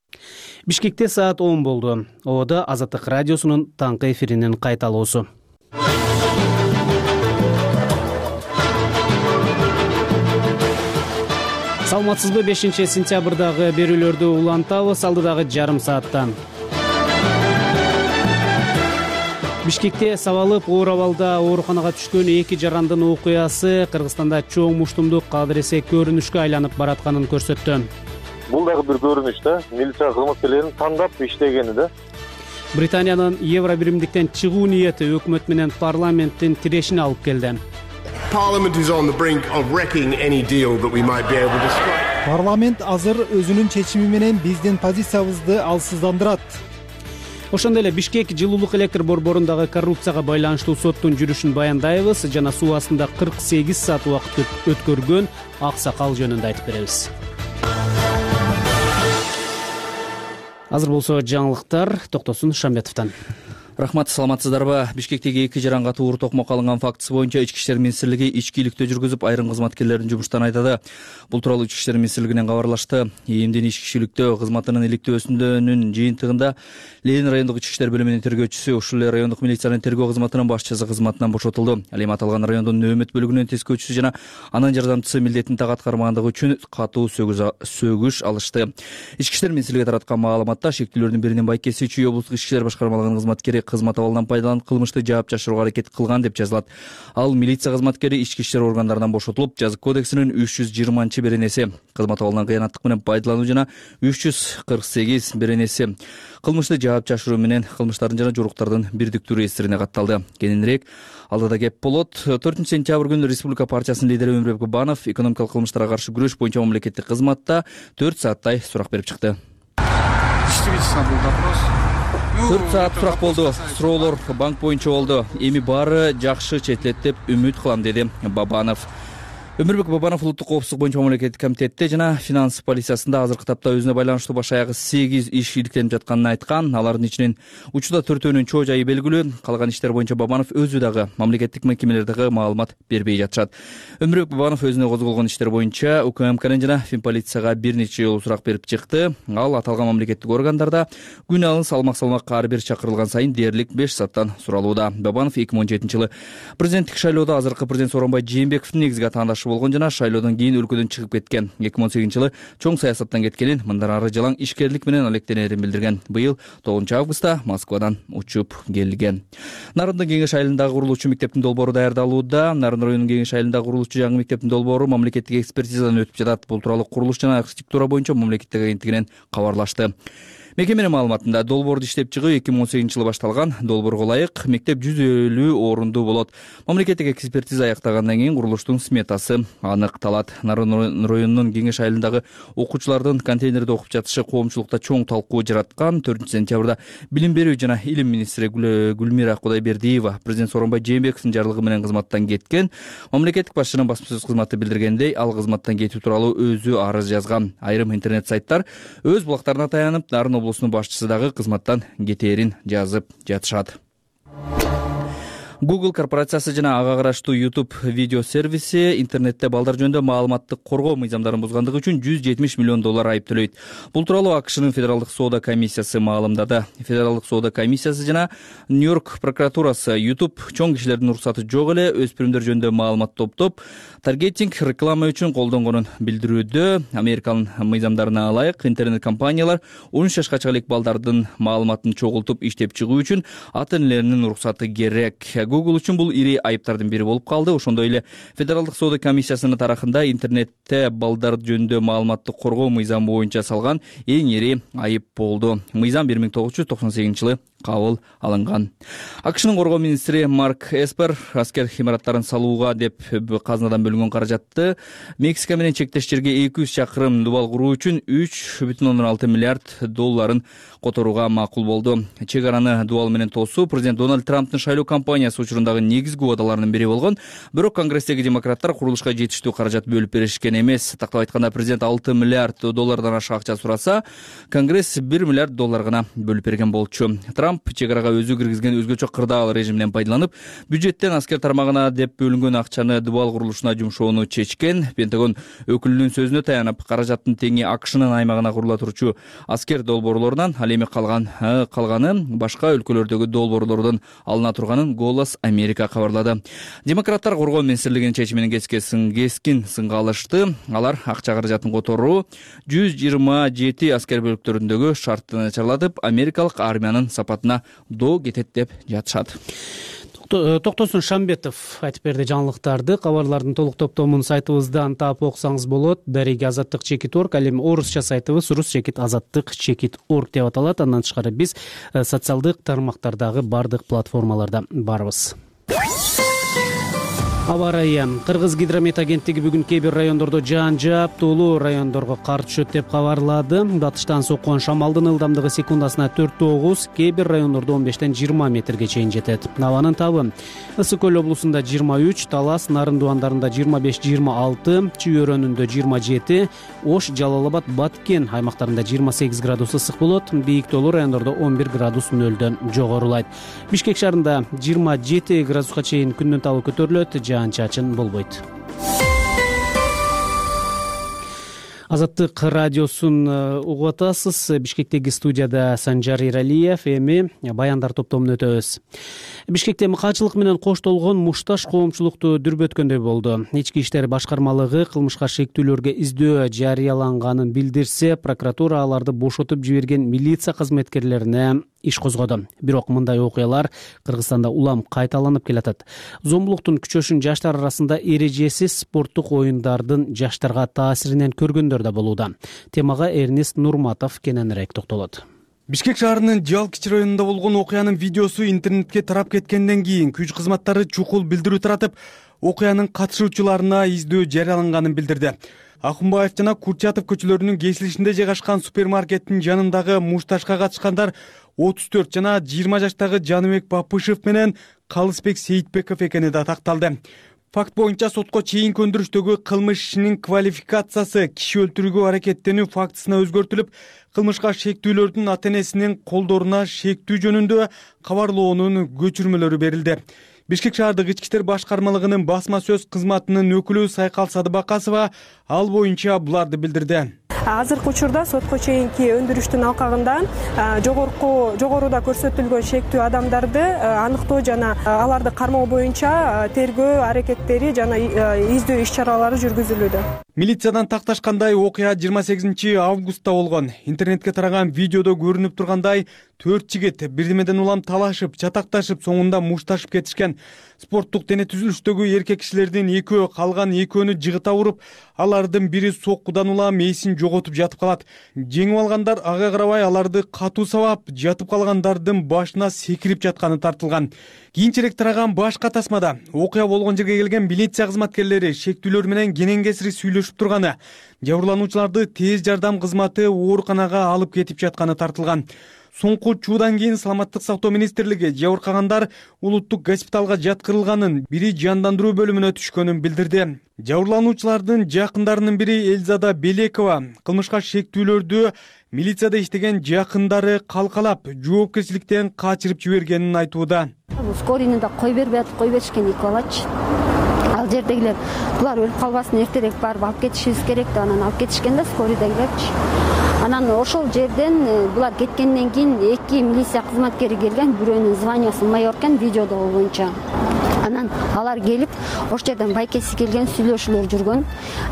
Бишкекте саат 10 болду. Ода Азаттык радиосунун таңкы эфиринин кайталоосу. Саламатсызбы? 5 сентябрдагы берүүлөрдү улантабыз алдыдагы жарым сааттан. Бишкекте сабалып оор абалда ооруканага түшкөн 2 жарандын окуясы Кыргызстанда чоң муштумдук адыресе көрүнүшкө айланып баратканын көрсөттү. Бул дагы бир көрүнүш да, милиция кызматкерлеринин тандап иштегени да. Британиянын Евро биримдиктен чыгуу ниети өкмөт менен парламенттин тирешине алып келди. Парламент азыр өзүнүн чечими менен биздин позициябызды алсыздандырат. Ошондой эле Бишкек жылуулук электр борборундагы коррупцияга байланыштуу соттун жүрүшүн баяндайбыз жана суу астында 48 саат убакыт өткөргөн аксакал жөнүндө айтып беребиз. Азыр болсо жаңылыктар Токтосун Шамбетовдон. Рахмат, саламатсыздарбы? Бишкектеги 2 жаран катуу оор токмок алынган фактысы боюнча Ички иштер министрлиги ичкиликтөө жүргүзүп, айрым кызматкерлердин жумуштан айдады. Бул тууралуу Ички иштер министрлигинен кабарлашты. ИИМдин ичкиликтөө кызматынын иликтөөсүнүн жыйынтыгында Ленин райондук ички иштер бөлүмүнүн тергөөчүсү, ушул эле райондук милициянын тергөө кызматынын башчысы кызматынан бошотулду. Ал эми аталган райондун нөөмөт бөлүгүнүн тескөөчүсү жана анын жардамчысы милдетин так аткармагандыгы үчүн катуу сөгүш алышты. Ички иштер министрлиги тараткан маалыматта шектүүлөрдүн биринин байкеси Чүй облустук ички иштер башкармалыгынын кызматкери кызмат абалынан пайдаланып кылмышты жаап жашырууга аракет кылган деп жазылат. Ал милиция кызматкери ички иштер органдарынан бошотулуп, жазык кодексинин 320-беренеси кызмат абалынан кыянаттык менен пайдалануу жана 348 беренеси кылмышты жаап жашыруу менен кылмыштардын жана жоруктардын бирдиктүү реестрине катталды. Кененирээк алдыда кеп болот. 4 сентябрь күнү Республика партиясынын лидери Өмүрбек Бабанов экономикалык кылмыштарга каршы күрөш боюнча мамлекеттик кызматта 4 сааттай сурак берип чыкты. 4 саат сурак болду. Суроолор банк боюнча болду. Эми баары жакшы четилет деп үмүт кылам, деди Бабанов. Өмүрбек Бабанов улуттук коопсуздук боюнча мамлекеттик комитетте жана финанс полициясында азыркы тапта өзүнө байланыштуу баш аягы 8 иш иликтенип жатканын айткан. Алардын ичинен учурда 4өөнүн чоо жайы белгилүү. Калган иштер боюнча Бабанов өзү дагы мамлекеттик мекемелердеги маалымат бербей жатышат. Өмүрбек Бабанов өзүнө козголгон иштер боюнча УКМКнын жана Финполицияга бир нече жолу сурак берип чыкты. Ал аталган мамлекеттик органдарда күн алын салмак ар бир чакырылган сайын дээрлик 5 сааттан суралууда. Бабанов 2017-жылы президенттик шайлоодо азыркы президент Сооронбай Жээнбековдун негизги атаандашы болгон жана шайлоодон кийин өлкөдөн чыгып кеткен. 2018-жылы чоң саясаттан кеткенин, мындан ары жалаң ишкерлик менен алектенерин билдирген. Быйыл 9-августта Москвадан учуп келген. Народный кеңеш айылындагы курулуучу мектептин долбоору даярдалууда. Нарын районунун кеңеш айылындагы курулуучу жаңы мектептин долбоору мамлекеттик экспертизадан өтүп жатат. Бул тууралуу курулуш жана архитектура боюнча мамлекеттик агенттигинен кабарлашты. Мекеменин маалыматында долбоорду иштеп чыгуу 2018-жылы башталган. Долбоорго ылайык мектеп 150 орундуу болот. Мамлекеттик экспертиза аяктагандан кийин курулуштун сметасы аныкталат. Нарын районунун кеңеш айылындагы окуучулардын контейнерде окуп жатышы коомчулукта чоң талкуу жараткан. 4 сентябрда билим берүү жана илим министри Гүлмира Кудайбердиева президент Сооронбай Жээнбековдун жарлыгы менен кызматтан кеткен. Мамлекеттик башчынын басма сөз кызматы билдиргендей, ал кызматтан кетүү тууралуу өзү арыз жазган. Айрым интернет сайттар өз блогтарына таянып, Нарын облусунун башчысы дагы кызматтан кетээрин жазып жатышат. Google корпорациясы жана ага караштуу YouTube видео сервиси интернетте балдар жөнүндө маалыматтык коргоо мыйзамдарын бузгандыгы үчүн $170 миллион айыптөлөйт. Бул тууралуу АКШнын Федералдык соода комиссиясы маалымдады. Федералдык соода комиссиясы жана Нью-Йорк прокуратурасы YouTube чоң кишилердин уруксаты жок эле өспүрүмдөр жөнүндө маалымат топтоп, таргетинг реклама үчүн колдонгонун билдирүүдө. Американын мыйзамдарына ылайык интернет компаниялар 13 жашка чейинки балдардын маалыматын чогултуп иштеп чыгуу үчүн ата-энелеринин уруксаты керек. Google үчүн бул ири айыптардын бири болуп калды. Ошондой эле Федералдык соода комиссиясынын тарахында интернетте балдар жөнүндө маалыматтык коргоо мыйзамы боюнча салган эң ири айып болду. Мыйзам 1998-жылы кабыл алынган. АКШнын коргоо министри Марк Эспер аскер имараттарын салууга деп казынадан бөлүнгөн каражатты Мексика менен чектеш жерге 200 чакырым дубал куруу үчүн $3,6 миллиард которууга макул болду. Чек араны дубал менен тосуу президент Дональд Трамптын шайлоо кампаниясы учурундагы негизги убадаларынын бири болгон. Бирок Конгресстеги демократтар курулушка жетиштүү каражат бөлүп беришкен эмес. Тактап айтканда президент $6 миллиард ашык акча сураса, Конгресс $1 миллиард гана бөлүп берген болчу. Трамп чек арага өзү киргизген өзгөчө кырдаал режимден пайдаланып, бюджеттен аскер тармагына деп бөлүнгөн акчаны дубал курулушуна жумшоону чечкен. Пентагон өкүлүнүн сөзүнө таянып, каражаттын теңи АКШнын аймагына курула турчу аскер долбоорлорунан, ал эми калганы башка өлкөлөрдөгү долбоорлордон алына турганын Голос Америка кабарлады. Демократтар коргоо министрлигинин чечиминин кескин сынга алышты. Алар акча каражатын которуу 127 аскер бөлүктөрүндөгү шартты начарлатып, америкалык армиянын сапатына доо кетет деп жатышат. Токтосун Шамбетов айтып берди жаңылыктарды. Кабарлардын толук топтомун сайтыбыздан таап окусаңыз болот. Дареги азаттык чекит.org, ал эми орусча сайтыбыз рус чекит азаттык чекит.org деп аталат. Андан тышкары биз социалдык тармактардагы бардык платформаларда барбыз. Аба ырайы. Кыргыз гидромет агенттиги бүгүн кээ бир райондордо жаан жаап, тоолуу райондорго кар түшөт деп кабарлады. Батыштан соккон шамалдын ылдамдыгы секундасына 4-9, кээ бир райондордо 15-20 метрге чейин жетет. Абанын табы Ысык көл облусунда 23, Талас, Нарын дуандарында 25-26, Чүй өрөөнүндө 27, Ош, Жалал Абад, Баткен аймактарында 28 градус ысык болот. Бийик тоолуу райондордо 11 градус нөлдөн жогорулайт. Бишкек шаарында 27 градуска чейин күндүн табы көтөрүлөт. Жаан-чачын болбойт. Азаттык радиосун угуп атасыз. Бишкектеги студияда Санжар Иралиев, эми баяндар топтомун өтөбүз. Бишкекте мыкаачылык менен коштолгон мушташ коомчулукту дүрбөткөндөй болду. Ички иштер башкармалыгы кылмышка шектүүлөргө издөө жарыяланганын билдирсе, прокуратура аларды бошотуп жиберген милиция кызметкерлерине иш козгоду. Бирок мындай окуялар Кыргызстанда улам кайталанып келатат. Зомбулуктун күчөшүн жаштар арасында эрежесиз спорттук оюндардын жаштарга таасиринен көргөндөр да болууда. Темага Эрнест Нурматов кененирээк токтолот. Бишкек шаарынын Жалкич районунда болгон окуянын видеосу интернетке тарап кеткенден кийин күч кызматтары чукул билдирүү таратып, окуянын катышуучуларына издөө жарыяланганын билдирди. Акунбаев жана Курчатов көчөлөрүнүн кесилишинде жайгашкан супермаркеттин жанындагы мушташка катышкандар 34 жана 20 жаштагы Жаныбек Бапышев менен Калысбек Сейитбеков экени да такталды. Факт боюнча сотко чейинки өндүрүштөгү кылмыш ишинин квалификациясы киши өлтүрүүгө аракеттенүү фактысына өзгөртүлүп, кылмышка шектүүлөрдүн ата-энесинин колдоруна шектүү жөнүндө кабарлоонун көчүрмөлөрү берилди. Бишкек шаардык ички иштер башкармалыгынын басма сөз кызматынын өкүлү Сайкал Садыбакасова ал боюнча буларды билдирди. Азыркы учурда сотко чейинки өндүрүштүн алкагында жогоруда көрсөтүлгөн шектүү адамдарды аныктоо жана аларды кармоо боюнча тергөө аракеттери жана издөө иш-чаралары жүргүзүлүүдө. Милициядан такташкандай окуя 28 августта болгон. Интернетке тараган видеодо көрүнүп тургандай 4 жигит бирдемеден улам талашып, чатакташып, соңунда мушташып кетишкен. Спорттук дене түзүлүштөгү эркек кишилердин экөө, калган экөөнү жыгыта уруп, алардын бири соккудан улам эсин жоготуп жатып калат. Жеңип алгандар ага карабай аларды катуу сабап, жатып калгандардын башына секирип жатканы тартылган. Кийинчерээк тараган башка тасмада окуя болгон жерге келген милиция кызматкерлери шектүүлөр менен кенен кесири сүйлөшүп сүйлөшүп турганы, жабырлануучуларды тез жардам кызматы ооруканага алып кетип жатканы тартылган. Соңку чуудан кийин Саламаттык сактоо министрлиги жабыркагандар улуттук госпиталга жаткырылганын, бири жандандыруу бөлүмүнө түшкөнүн билдирди. Жабырлануучулардын жакындарынын бири Элзада Белекова кылмышка шектүүлөрдү милицияда иштеген жакындары калкалап, жоопкерчиликтен качырып жибергенин айтууда. Скорыйны да кой бербей атып, кой беришкен 2 балачы. Ал жердегилер булар өлүп калбасын, эртерээк барып алып кетишибиз керек деп анан алып кетишкен да скорыйдагилерчи. Анан ошол жерден булар кеткенден кийин 2 милиция кызматкери келген, бирөөнүн званиясы майор экен видеодо боюнча. Анан алар келип, ошол жерден байкеси келген, сүйлөшүүлөр жүргөн,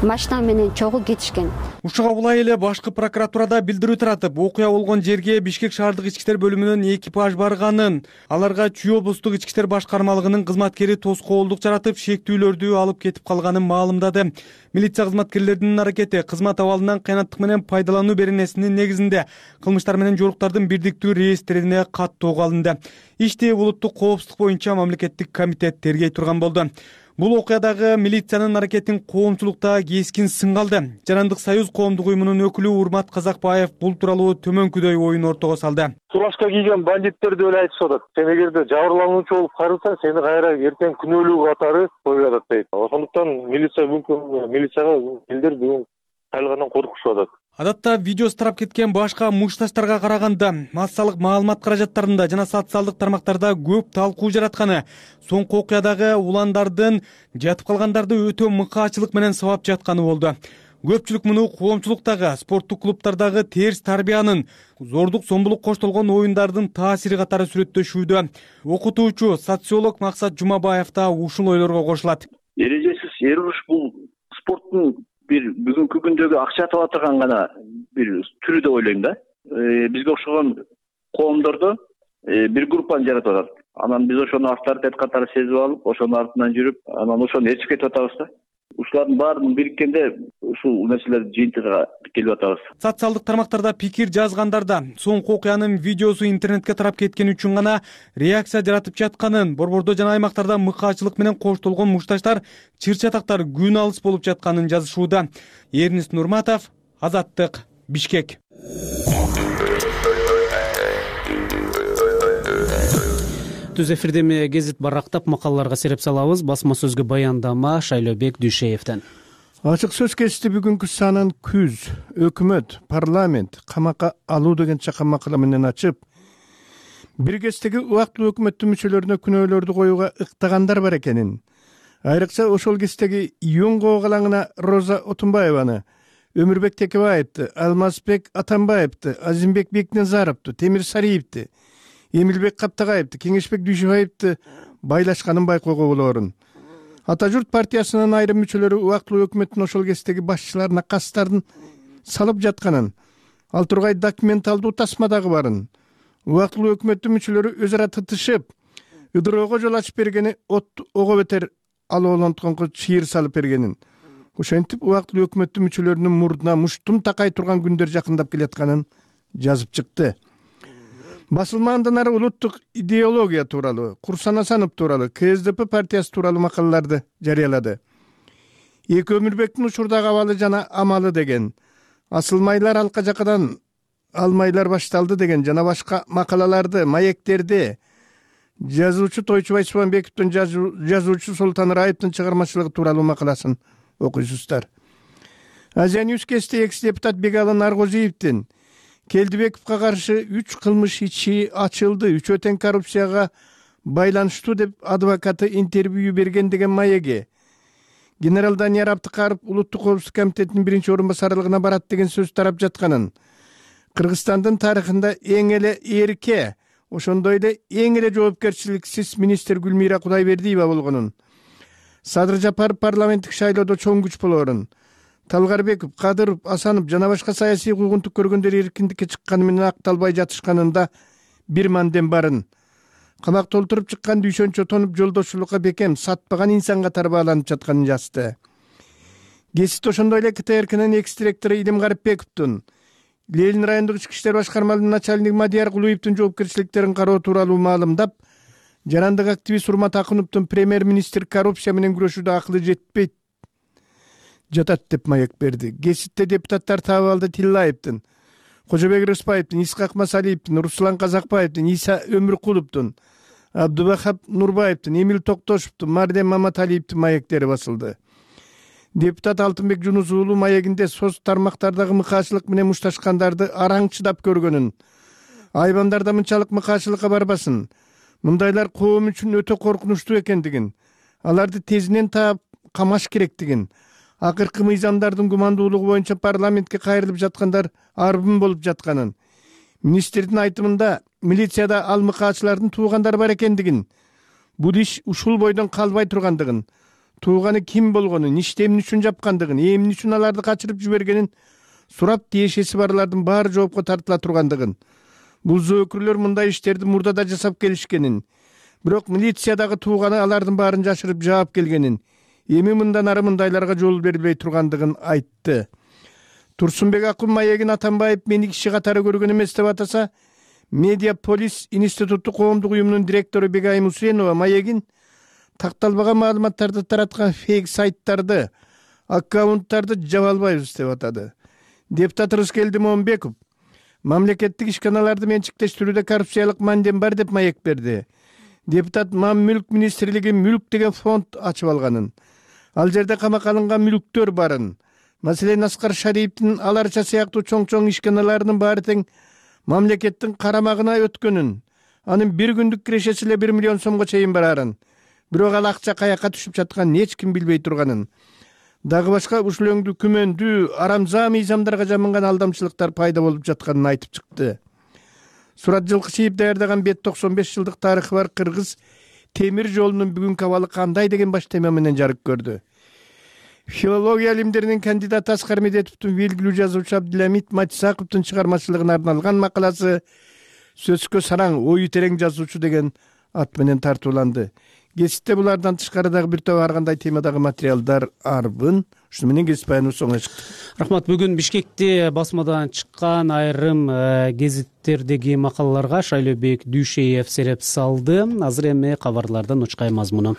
машина менен чогуу кетишкен. Ушуга улай эле башкы прокуратурада билдирүү таратып, окуя болгон жерге Бишкек шаардык ички иштер бөлүмүнүн экипаж барганын, аларга Чүй облустук ички иштер башкармалыгынын кызматкери тоскоолдук жаратып, шектүүлөрдү алып кетип калганын маалымдады. Милиция кызматкерлеринин аракети кызмат абалынан кыянаттык менен пайдалануу беренесинин негизинде кылмыштар менен жоруктардын бирдиктүү реестрине каттоого алынды. Ишти улуттук коопсуздук боюнча мамлекеттик комитет тергей турган болду. Бул окуядагы милициянын аракетин коомчулукта кескин сынга алды. Жарандык союз коомдук уюмунун өкүлү Урмат Казакбаев бул тууралуу төмөнкүдөй оюн ортого салды. Фуражка кийген бандиттерди эле айтышып атат. Сен эгерде жабырлануучу болуп карылсаң, сени кайра эртең күнөөлүү катары коюп атат дейт. Ошондуктан милицияга элдер бүгүн кайрадан коркушуп атат. Адатта видеосу тарап кеткен башка мушташтарга караганда массалык маалымат каражаттарында жана социалдык тармактарда көп талкуу жаратканы, соңку окуядагы уландардын жатып калгандарды өтө мыкаачылык менен сабап жатканы болду. Көпчүлүк муну коомчулуктагы, спорттук клубтардагы терс тарбиянын, зордук зомбулук коштолгон оюндардын таасири катары сүрөттөшүүдө. Окутуучу, социолог Максат Жумабаев да ушул ойлорго кошулат. Эрежесиз эр уруш бул спорттун бир бүгүнкү күндөгү акча таба турган гана бир түрү деп ойлойм да. Бизге окшогон коомдордо бир группаны жаратып атат. Анан биз ошону авторитет катары сезип алып, ошонун артынан жүрүп, анан ошону ээрчип кетип атабыз да. Ушулардын баарын бириккенде ушул нерселер жыйынтыгына келип атабыз. Социалдык тармактарда пикир жазгандарда соңку окуянын видеосу интернетке тарап кеткени үчүн гана реакция жаратып жатканын, борбордо жана аймактарда мыкаачылык менен коштолгон мушташтар, чыр-чатактар күн алыс болуп жатканын жазышууда. Эрнис Нурматов, Азаттык, Бишкек. Түз эфирде гезит барактап макалаларга сереп салабыз. Басма сөзгө баяндама Шайлообек Дүйшеевден. Ачык сөз кечти бүгүнкү санын күз, өкмөт, парламент камакка алуу деген чакан макала менен ачып, бир кездеги убактылуу өкмөттүн мүчөлөрүнө күнөөлөрдү коюуга ыктагандар бар экенин, айрыкча ошол кездеги Ион калаңына Роза Отунбаеваны, Өмүрбек Текебаевди, Алмазбек Атамбаевди, Азимбек Бекназаровду, Темир Сариевди, Эмилбек Каптагаевди, Кеңешбек Дүйшөбаевди байлашканын байкоого болоорун. Ата журт партиясынын айрым мүчөлөрү убактылуу өкмөттүн ошол кездеги башчыларына кастарын салып жатканын, ал тургай документалдуу тасма дагы барын. Убактылуу өкмөттүн мүчөлөрү өз ара тытышып, ыдыроого жол ачып бергени ого бетер ал олонтконго чыйыр салып бергенин. Ошентип убактылуу өкмөттүн мүчөлөрүнүн мурдуна муштум такай турган күндөр жакындап келатканын жазып чыкты. Басылмаандан ары улуттук идеология тууралуу, Курсан Асанов тууралуу, КСДП партиясы тууралуу макалаларды жарыялады. Эки Өмүрбектин учурдагы абалы жана амалы деген, асылмайлар алка жакадан алмайлар башталды деген жана башка макалаларды, маектерди жазуучу Тойчубай Субанбековдун жазуучу Султан Раевдин чыгармачылыгы тууралуу макаласын окуйсуздар. Азия Ньюс кесте экс-депутат Бегалы Наргозиевдин Келдибековго каршы 3 кылмыш ичи ачылды, 3 тең коррупцияга байланыштуу деп адвокаты интервью берген деген маеги, генерал Данияр Абдыкаров улуттук коопсуздук комитетинин 1-орун басарылыгына барат деген сөз тарап жатканын, Кыргызстандын тарыхында эң эле эрке, ошондой эле эң эле жоопкерчиликсиз министр Гүлмира Кудайбердиева болгонун, Садыр Жапаров парламенттик шайлоодо чоң күч болоорун, Талгарбеков, Кадыров, Асанов жана башка саясий куугунтук көргөндөр эркиндикке чыкканы менен акталбай жатышканында бир мандем барын. Камак толтуруп чыккан дүйшөнчө тонуп жолдошчулукка бекем сатпаган инсан катары бааланып жатканын жазды. Гесит ошондой эле КТРКнын экс-директору Илим Гарипбековдун, Ленин райондук ички иштер башкармалыгынын начальниги Мадияр Кулуевдин жоопкерчиликтерин кароо тууралуу маалымдап, жарандык активист Урмат Акуновдун премьер-министр коррупция менен күрөшүүдө акылы жетпейт, жатат деп маек берди. Кесипте депутаттар Табалды Тиллаевдин, Кожобек Рыспаевдин, Исхак Масалиевдин, Руслан Казакбаевдин, Иса Өмүркуловдун, Абдубахап Нурбаевдин, Эмил Токтошевдун, Мардем Маматалиевдин маектери басылды. Депутат Алтынбек Жунус уулу маегинде соц тармактардагы мыкаачылык менен мушташкандарды араң чыдап көргөнүн, айбандарда мынчалык мыкаачылыкка барбасын, мындайлар коом үчүн өтө коркунучтуу экендигин, аларды тезинен таап камаш керектигин, акыркы мыйзамдардын гумандуулугу боюнча парламентке кайрылып жаткандар арбын болуп жатканын, министрдин айтымында милицияда ал мыкаачылардын туугандары бар экендигин, бул иш ушул бойдон калбай тургандыгын, тууганы ким болгонун, ишти эмне үчүн жапкандыгын, эмне үчүн аларды качырып жибергенин сурап тиешеси барлардын баары жоопко тартыла тургандыгын, бул зөөкүрлөр мындай иштерди мурда да жасап келишкенин, бирок милициядагы тууганы алардын баарын жашырып жаап келгенин, эми мындан ары мындайларга жол берилбей тургандыгын айтты. Турсунбек Акун маегин Атамбаев мени киши катары көргөн эмес деп атаса, Медиаполис институттук коомдук уюмунун директору Бегайым Усенова маегин такталбаган маалыматтарды тараткан фейк сайттарды, аккаунттарды жаба албайбыз деп атады. Депутат Рыскелди Момбеков мамлекеттик ишканаларды менчиктештирүүдө коррупциялык мандем бар деп маек берди. Депутат Мам-мүлк министрлиги мүлк деген фонд ачып алганын, ал жерде камакка алынган мүлктөр барын, маселен Аскар Шариповдин аларча сыяктуу чоң ишканаларынын баары тең мамлекеттин карамагына өткөнүн, анын бир күндүк кирешеси эле 1 миллион сомго чейин барарын, бирок ал акча каяка түшүп жатканын эч ким билбей турганын, дагы башка ушул өңдүү күмөндүү арамза мыйзамдарга жамынган алдамчылыктар пайда болуп жатканын айтып чыкты. Сурат Жылкычиев даярдаган бет 95 жылдык тарыхы бар Кыргыз темир жолунун бүгүнкү абалы кандай деген баш тема менен жарык көрдү. Филология илимдеринин кандидаты Аскар Медетовдун белгилүү жазуучу Абдыламит Матисаковдун чыгармачылыгына арналган макаласы сөзгө сараң, ою терең жазуучу деген ат менен тартууланды. Кесипте булардан тышкары дагы бир топ ар кандай темадагы материалдар арбын. Ушуну менен кесип баяныбыз соңуна чыкты. Рахмат. Бүгүн Бишкекте басмадан чыккан айрым гезиттердеги макалаларга Шайлообек Дүйшеев сереп салды. Азыр эми кабарлардан учкай мазмуну.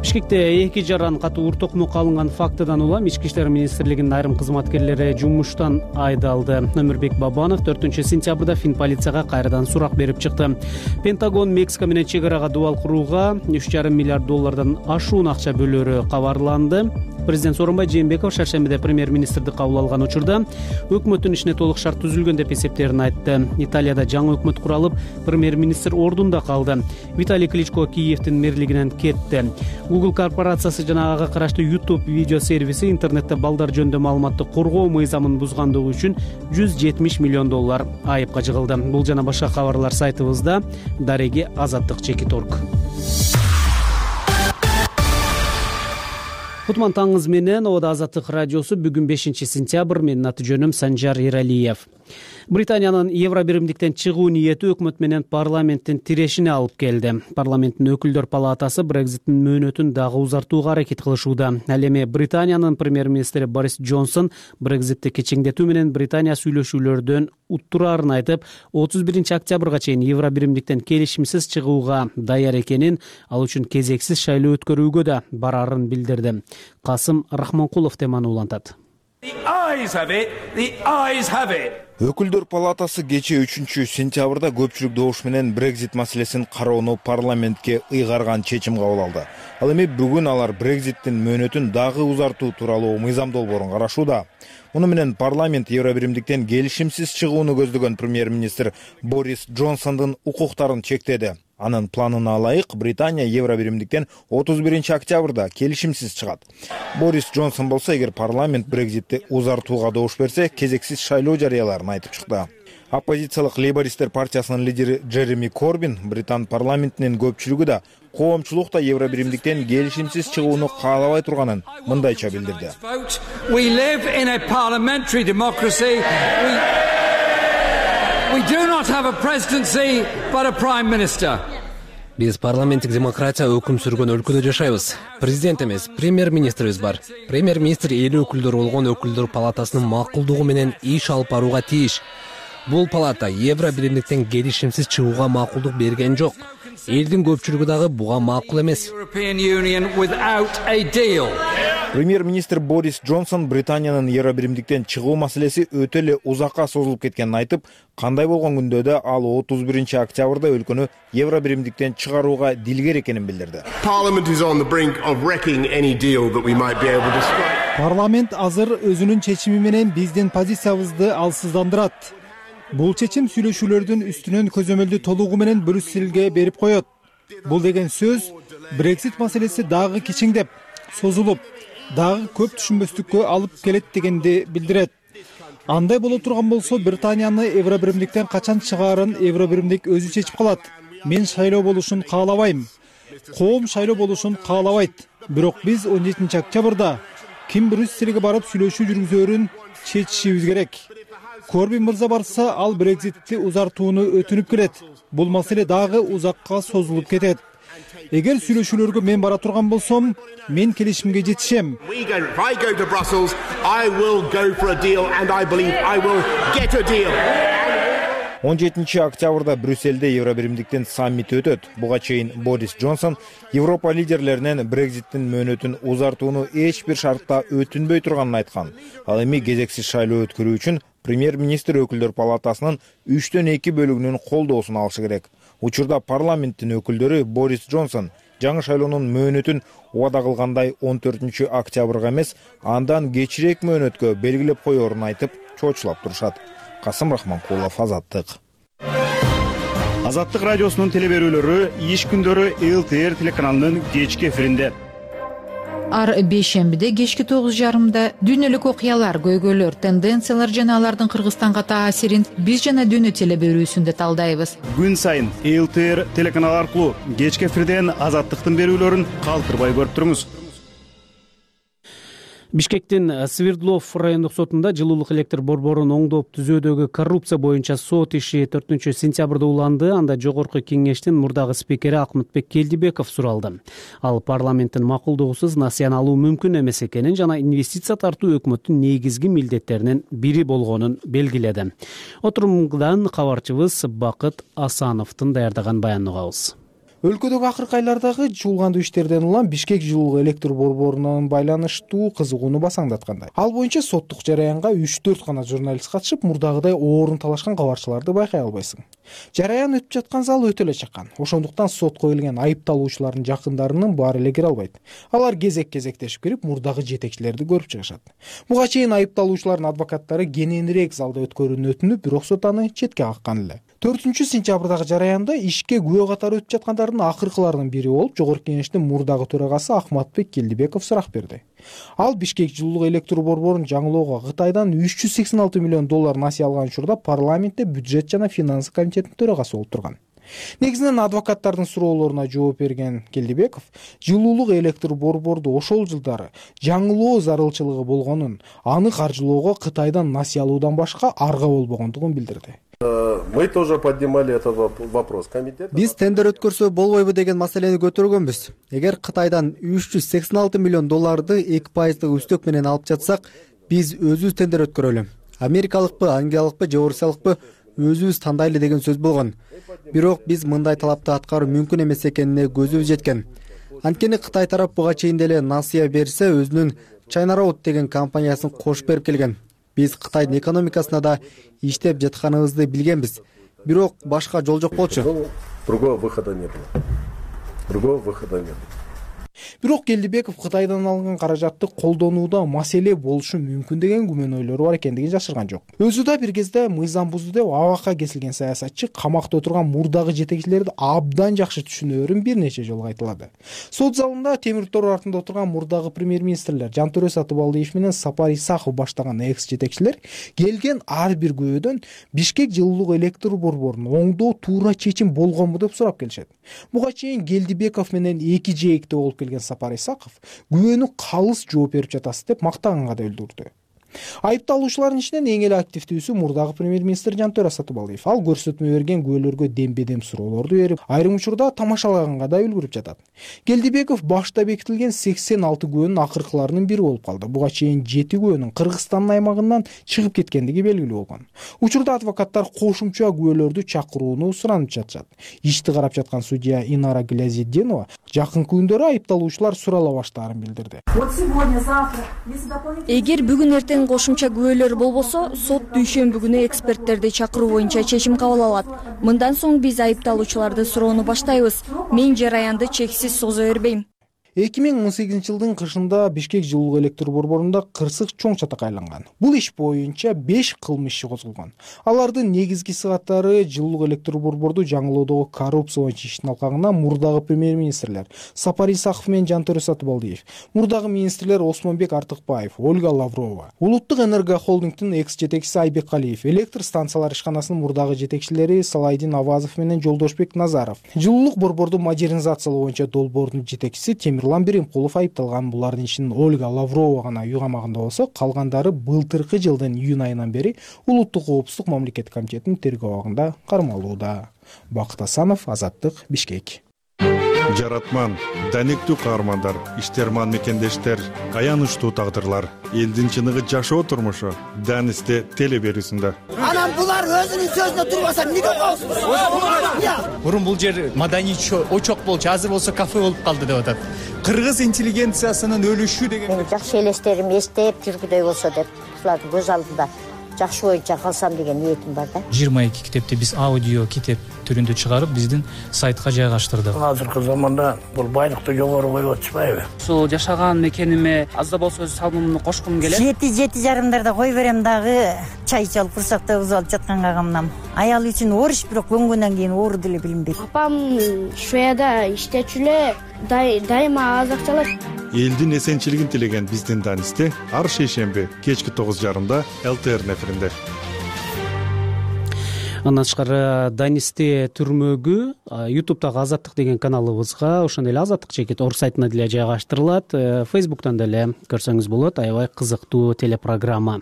Бишкекте 2 жаран катуу ур токмокко алынган фактыдан улам Ички иштер министрлигинин айрым кызматкерлери жумуштан айдалды. Өмүрбек Бабанов 4-сентябрда Фин полицияга кайрадан сурак берип чыкты. Пентагон Мексика менен чек арага дубал курууга $3,5 миллиард ашуун акча бөлөөрү кабарланды. Президент Сооронбай Жээнбеков шаршембиде премьер-министрди кабыл алган учурда өкмөттүн ишине толук шарт түзүлгөн деп эсептерин айтты. Италияда жаңы өкмөт куралып, премьер-министр ордунда калды. Виталий Кличко Киевдин мэрлигинен кетти. Google корпорациясы жана ага караштуу YouTube видео сервиси интернетте балдар жөнүндө маалыматты коргоо мыйзамын бузгандыгы үчүн $170 миллион айыпка жыгылды. Бул жана башка кабарлар сайтыбызда. Дареги Азаттык Чекит.org. Кутман таңыңыз менен Ода Азаттык радиосу бүгүн 5-сентябрь. Менин аты жөнүм Санжар Иралиев. Британиянын Евробиримдиктен чыгуу ниети өкмөт менен парламенттин тирешине алып келди. Парламенттин өкүлдөр палатасы Брекзиттин мөөнөтүн дагы узартууга аракет кылышууда. Ал эми Британиянын премьер-министри Борис Джонсон Брекзитти кечеңдетүү менен Британия сүйлөшүүлөрдөн уттураарын айтып, 31-октябрга чейин Евробиримдиктен келишимсиз чыгууга даяр экенин, ал үчүн кезексиз шайлоо өткөрүүгө да барарын билдирди. Касым Рахманкулов теманы улантат. Өкүлдөр палатасы кечээ 3-сентябрда көпчүлүк добуш менен Брекзит маселесин кароону парламентке ыйгарган чечим кабыл алды. Ал эми бүгүн алар Брекзиттин мөөнөтүн дагы узартуу тууралуу мыйзам долбоорун карашууда. Муну менен парламент Евробиримдиктен келишимсиз чыгууну көздөгөн премьер-министр Борис Джонсондун укуктарын чектеди. Анын планына ылайык Британия Евробиримдиктен 31-октябрда келишимсиз чыгат. Борис Джонсон болсо, эгер парламент Брекзитти узартууга добуш берсе, кезексиз шайлоо жарыяларын айтып чыкты. Оппозициялык Лейбористер партиясынын лидери Джереми Корбин Британ парламентинин көпчүлүгү да коомчулук да Евробиримдиктен келишимсиз чыгууну каалабай турганын мындайча билдирди. We do not have a presidency, but a prime minister. Биз парламенттик демократия өкүм сүргөн өлкөдө жашайбыз. Президент эмес, премьер-министрибиз бар. Премьер-министр эли өкүлдөр болгон өкүлдөр палатасынын макулдугу менен иш алып барууга тийиш. Бул палата Евробиримдиктен келишимсиз чыгууга макулдук берген жок. Элдин көпчүлүгү дагы буга макул эмес. Премьер-министр Борис Джонсон Британиянын Евробиримдиктен чыгуу маселеси өтө эле узакка созулуп кеткенин айтып, кандай болгон күндө ал 31 октябрда өлкөнү Евробиримдиктен чыгарууга дилгер экенин билдирди. Парламент азыр өзүнүн чечими менен биздин позициябызды алсыздандырат. Бул чечим сүйлөшүүлөрдүн үстүнөн көзөмөлдү толугу менен Брюсселге берип коет. Бул деген сөз Брексит маселеси дагы кичиңдеп, созулуп, дагы көп түшүнбөстүккө алып келет дегенди билдирет. Андай боло турган болсо, Британияны Евробиримдиктен качан чыгаарын Евробиримдик өзү чечип калат. Мен шайлоо болушун каалабайм. Коом шайлоо болушун каалабайт. Бирок биз 17 октябрда ким Брюссельге барып сүйлөшүү жүргүзөрүн чечишибиз керек. Корбин мырза барса, ал Брекситти узартууну өтүнүп келет. Бул маселе дагы узакка созулуп кетет. Эгер сүйлөшүүлөргө мен бара турган болсом, мен келишимге жетишем. 17 октябрда Брюссельде Евробиримдиктин саммити өтөт. Буга чейин Борис Джонсон Европа лидерлеринен Брекситтин мөөнөтүн узартууну эч бир шартта өтүнбөй турганын айткан. Ал эми кезексиз шайлоо өткөрүү үчүн премьер-министр өкүлдөр палатасынын 3/2 бөлүгүнүн колдоосун алышы керек. Учурда парламенттин өкүлдөрү Борис Джонсон жаңы шайлоонун мөөнөтүн убада кылгандай 14 октябрга эмес, андан кечирээк мөөнөткө белгилеп коерун айтып, чоочулап турушат. Касым Рахманкулов, Азаттык. Азаттык радиосунун телеберүүлөрү иш күндөрү ЛТР телеканалынын кечки эфиринде. Ар бейшембиде кечки 9:30 дүйнөлүк окуялар, көйгөйлөр, тенденциялар жана алардын Кыргызстанга таасирин биз жана дүйнө телеберүүсүндө талдайбыз. Күн сайын ЛТР телеканалы аркылуу кечки эфирден Азаттыктын берүүлөрүн калтырбай көрүп туруңуз. Бишкектин Свердлов райондук сотунда жылуулук электр борборун оңдоп түзөөдөгү коррупция боюнча сот иши 4 сентябрда уланды. Анда жогорку кеңештин мурдагы спикери Акмытбек Келдибеков суралды. Ал парламенттин макулдугусуз насыяны алуу мүмкүн эмес экенин жана инвестиция тартуу өкмөттүн негизги милдеттеринин бири болгонун белгиледи. Отурумдан кабарчыбыз Бакыт Асановдун даярдаган баянын угабыз. Өлкөдөгү акыркы айлардагы чуулгандуу иштерден улам Бишкек жылуулук электр борборунун байланыштуу кызыгууну басаңдаткандай. Ал боюнча соттук жараянга 3-4 гана журналист катышып, мурдагыдай оорун талашкан кабарчыларды байкай албайсың. Жараян өтүп жаткан зал өтө эле чакан. Ошондуктан сотко келген айыпталуучулардын жакындарынын баары эле кире албайт. Алар кезек-кезектешип кирип, мурдагы жетекчилерди көрүп чыгышат. Буга чейин айыпталуучулардын адвокаттары кененирээк залда өткөрүүнү өтүнүп, бирок сот аны четке каккан эле. 4 сентябрдагы жараянда ишке күбө катары өтүп жаткандардын акыркыларынын бири болуп, жогорку кеңештин мурдагы төрагасы Акматбек Келдибеков сурак берди. Ал Бишкек жылуулук электр борборун жаңылоого Кытайдан $386 миллион насыя алган учурда парламентте бюджет жана финансы комитетинин төрагасы болуп турган. Негизинен адвокаттардын суроолоруна жооп берген Келдибеков жылуулук электр борборду ошол жылдары жаңылоо зарылчылыгы болгонун, аны каржылоого Кытайдан насыя алуудан башка арга болбогондугун билдирди. Мы тоже поднимали этот вопрос. Биз тендер өткөрсө болбойбу деген маселени көтөргөнбүз. Эгер Кытайдан $386 миллион 2% үстөк менен алып жатсак, биз өзүбүз тендер өткөрөлү. Америкалыкпы, англиялыкпы же орусиялыкпы өзүбүз тандайлы деген сөз болгон. Бирок биз мындай талапты аткаруу мүмкүн эмес экенине көзүбүз жеткен. Анткени Кытай тарап буга чейин деле насыя берсе, өзүнүн China Road деген компаниясын кошуп берип келген. Биз Кытайдын экономикасына да иштеп жатканыбызды билгенбиз. Бирок башка жол жок болчу. Другого выхода не было. Бирок Келдибеков Кытайдан алынган каражатты колдонууда маселе болушу мүмкүн деген күмөнөөлөрү бар экендигин жашырган жок. Өзү да бир кезде мыйзам бузду деп абакка кесилген саясатчы камакта отурган мурдагы жетекчилерди абдан жакшы түшүнөөрүн бир нече жолу айтылады. Сот залында темир тор артында отурган мурдагы премьер-министрлер Жантөрө Сатыбалдиев менен Сапар Исаков баштаган экс жетекчилер келген ар бир күбөдөн Бишкек жылуулук электр борборун оңдоо туура чечим болгонбу деп сурап келишет. Буга чейин Келдибеков менен эки жээкте болуп келген Сапар Исаков күбөнү калыс жооп берип жатасыз деп мактаганга да өлдүрдү. Айыпталуучулардын ичинен эң эле активдүүсү мурдагы премьер-министр Жантөре Сатыбалдиев. Ал көрсөтмө берген күбөлөргө дембедем суроолорду берип, айрым учурда тамашалаганга да үлгүрүп жатат. Келдибеков башта бекитилген 86 күбөнүн акыркыларынын бири болуп калды. Буга чейин 7 күбөнүн Кыргызстандын аймагынан чыгып кеткендиги белгилүү болгон. Учурда адвокаттар кошумча күбөлөрдү чакырууну суранып жатышат. Ишти карап жаткан судья Инара Глязетдинова жакынкы күндөрү айыпталуучулар сурала баштаарын билдирди. Эгер бүгүн эртең кошумча күбөлөр болбосо, сот дүйшөмбү күнү эксперттерди чакыруу боюнча чечим кабыл алат. Мындан соң биз айыпталуучуларды суроону баштайбыз. Мен жараянды чексиз созо бербейм. 2018 жылдын кышында Бишкек жылуулук электр борборунда кырсык чоң чатак айланган. Бул иш боюнча 5 кылмыш иши козголгон. Алардын негизги сыгаттары жылуулук электр борборду жаңылоодогу коррупция боюнча иштин алкагына мурдагы премьер-министрлер Сапар Исаков менен Жантөре Сатыбалдиев, мурдагы министрлер Осмонбек Артыкбаев, Ольга Лаврова, Улуттук энерго холдингдин экс-жетекчиси Айбек Калиев, электр станциялар ишканасынын мурдагы жетекчилери Салайдин Авазов менен Жолдошбек Назаров, жылуулук борборду модернизациялоо боюнча долбоордун жетекчиси Темирлан Беримкулов айыпталган. Булардын ичинен Ольга Лаврова гана үй камагында болсо, калгандары былтыркы жылдын июнь айынан бери Улуттук коопсуздук мамлекеттик комитетинин тергөө абагында кармалууда. Бакыт Асанов, Азаттык, Бишкек. Жаратман, данектүү каармандар, иштерман мекендештер, аянычтуу тагдырлар, элдин чыныгы жашоо турмушу Данисте теле берүүсүндө. Анан булар өзүнүн сөзүнө турбаса эмнеге коосуз? Мурун бул жер маданий очок болчу, азыр болсо кафе болуп калды деп атат. Кыргыз интеллигенциясынын өлүшү деген. Мен жакшы элестерим эстеп жүргүдөй болсо деп, булардын көз алдында жакшы боюнча калсам деген ниетим бар да. 22 китепти биз аудио китеп түрүндө чыгарып, биздин сайтка жайгаштырдык. Азыркы заманда бул байлыкты жогору коюп атышпайбы? Ушул жашаган мекениме аз да болсо өз салымымды кошкум келет. 7:30-дарда кой берем дагы, чай ичип алып курсакта кызып алып жатканга камнам. Аял үчүн ориш, бирок көнгөндөн кийин оор деле билинбейт. Апам Шведияда иштечү эле, дайыма аз акча алат. Элдин эсенчилигин тилеген биздин Данисте ар шейшемби кечки 9:30 ЛТР эфиринде. Андан тышкары Данисте түрмөгү YouTube'дагы Азаттык деген каналыбызга, ошондой эле Азаттык чекит орг сайтына деле жайгаштырылат. Facebook'тан деле көрсөңүз болот. Аябай кызыктуу телепрограмма.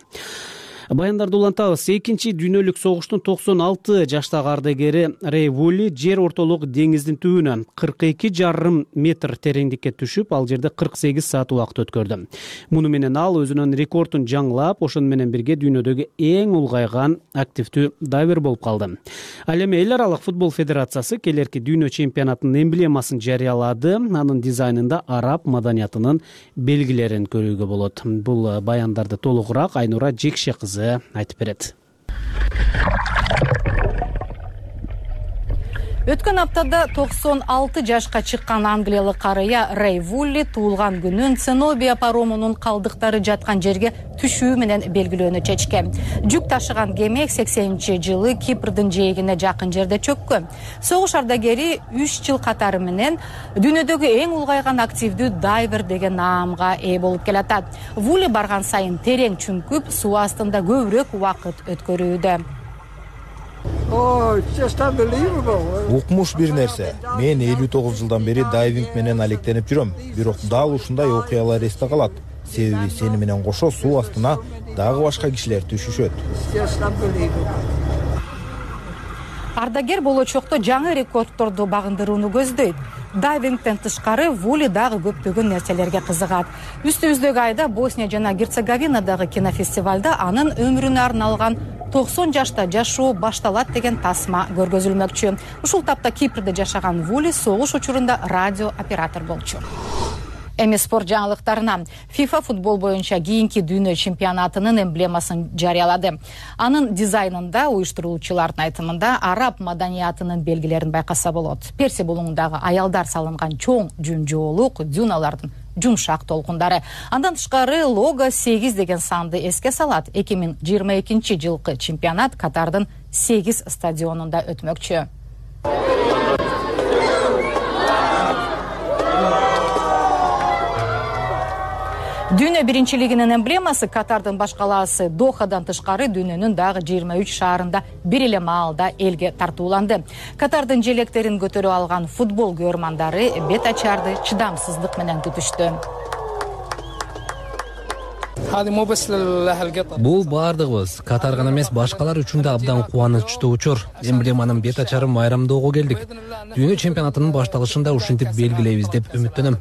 Баяндарды улантабыз. Экинчи дүйнөлүк согуштун 96 жаштагы ардагери Рэй Вулли жер ортолук деңиздин түбүнөн 42,5 метр тереңдикке түшүп, ал жерде 48 саат убакыт өткөрдү. Муну менен ал өзүнүн рекордун жаңылап, ошону менен бирге дүйнөдөгү эң улгайган активдүү дайвер болуп калды. Ал эми эл аралык футбол федерациясы келерки дүйнө чемпионатынын эмблемасын жарыялады. Анын дизайнында араб маданиятынын белгилерин көрүүгө болот. Бул баяндарды толугураак Айнура Жекше кызы айтып берет. Өткөн аптада 96 жашка чыккан англиялык карыя Рэй Вулли туулган күнүн Ценобия паромунун калдыктары жаткан жерге түшүү менен белгилөөнү чечкен. Жүк ташыган кеме 80-жылы Кипрдин жээгине жакын жерде чөккөн. Согуш ардагери 3 жыл катары менен дүйнөдөгү эң улгайган активдүү дайвер деген наамга ээ болуп келатат. Вулли барган сайын терең чүңкүп, суу астында көбүрөөк убакыт өткөрүүдө. Укмуш бир нерсе. Мен 59 жылдан бери дайвинг менен алектенип жүрөм. Бирок дал ушундай окуялар эсте калат. Себеби сени менен кошо суу астына дагы башка кишилер түшүшөт. Ардагер болочокто жаңы рекордторду багындырууну көздөйт. Дайвингден тышкары Вулли дагы көптөгөн нерселерге кызыгат. Үстүбүздөгү айда Босния жана Герцеговинадагы кинофестивалда анын өмүрүнө арналган 90 жашта жашоо башталат деген тасма көргөзүлмөкчү. Ушул тапта Кипрде жашаган Вулли согуш учурунда радио оператор болчу. Эми спорт жаңылыктарына. FIFA футбол боюнча кийинки дүйнө чемпионатынын эмблемасын жарыялады. Анын дизайнында уюштуруучулардын айтымында араб маданиятынын белгилерин байкаса болот. Персия булуңундагы аялдар салынган чоң жүн-жоолук, дюналардын жумшак толкундары. Андан тышкары лого 8 деген санды эске салат. 2022 жылкы чемпионат Катардын 8 стадионунда өтмөкчү. Дүйнө биринчилигинин эмблемасы Катардын баш калаасы Дохадан тышкары дүйнөнүн дагы 23 шаарында бир эле маалда элге тартууланды. Катардын желектерин көтөрүп алган футбол көрөрмандары бет ачарды чыдамсыздык менен күтүштү. Бул баардыгыбыз, Катар гана эмес, башкалар үчүн да абдан кубанычтуу учур. Эмблеманын бет ачарын майрамдоого келдик. Дүйнө чемпионатынын башталышын да ушинтип белгилейбиз деп үмүттөнөм.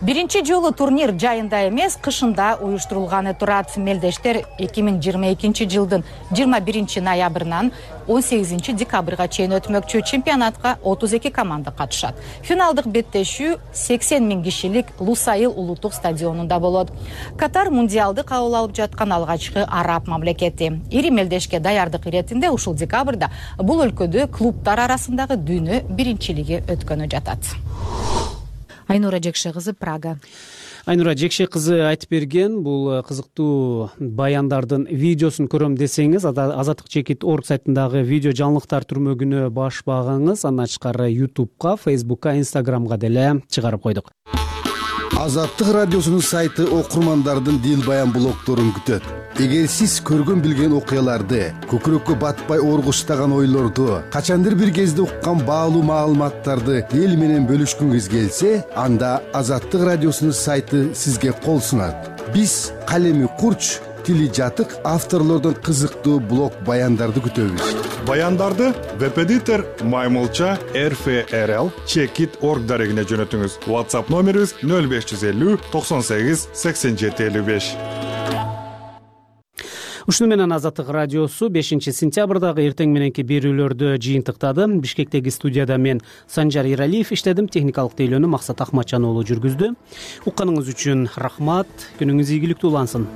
Биринчи жолу турнир жайында эмес, кышында уюштурулганы турат. Мелдештер 2022 жылдын 21 ноябрынан 18 декабрга чейин өтмөкчү. Чемпионатка 32 команда катышат. Финалдык беттешүү 80 000 кишилик Лусайыл улуттук стадионунда болот. Катар мундиалды кабыл алып жаткан алгачкы араб мамлекети. Ири мелдешке даярдык иретинде ушул декабрда бул өлкөдө клубтар арасындагы дүйнө биринчилиги өткөнү жатат. Айнура Жекше кызы, Прага. Айнура Жекше кызы айтып берген бул кызыктуу баяндардын видеосун көрөм десеңиз, Азаттык чекит орг сайтындагы видео жаңылыктар түрмөгүнө баш багыңыз. Андан тышкары YouTube'ка, Facebook'ка, Instagram'га деле чыгарып койдук. Азаттык радиосунун сайты окурмандардын дил баян блогторун күтөт. Эгер сиз көргөн билген окуяларды, көкүрөккө батпай оргуштаган ойлорду, качандыр бир кезде уккан баалуу маалыматтарды эл менен бөлүшкүңүз келсе, анда Азаттык радиосунун сайты сизге кол сунат. Биз калеми курч, тили жатык авторлордун кызыктуу блог баяндарды күтөбүз. Баяндарды веб-эдитор Маймылча RFRL Чекит орг дарегине жөнөтүңүз. WhatsApp номерибиз 0550 98 87 55. Ушуну менен Азаттык радиосу 5-сентябрдагы эртең мененки берүүлөрдү жыйынтыктады. Бишкектеги студияда мен Санжар Иралиев иштедим, техникалык тейлөөнү Максат Акматжан уулу жүргүздү. Укканыңыз үчүн рахмат, күнүңүз ийгиликтүү улансын.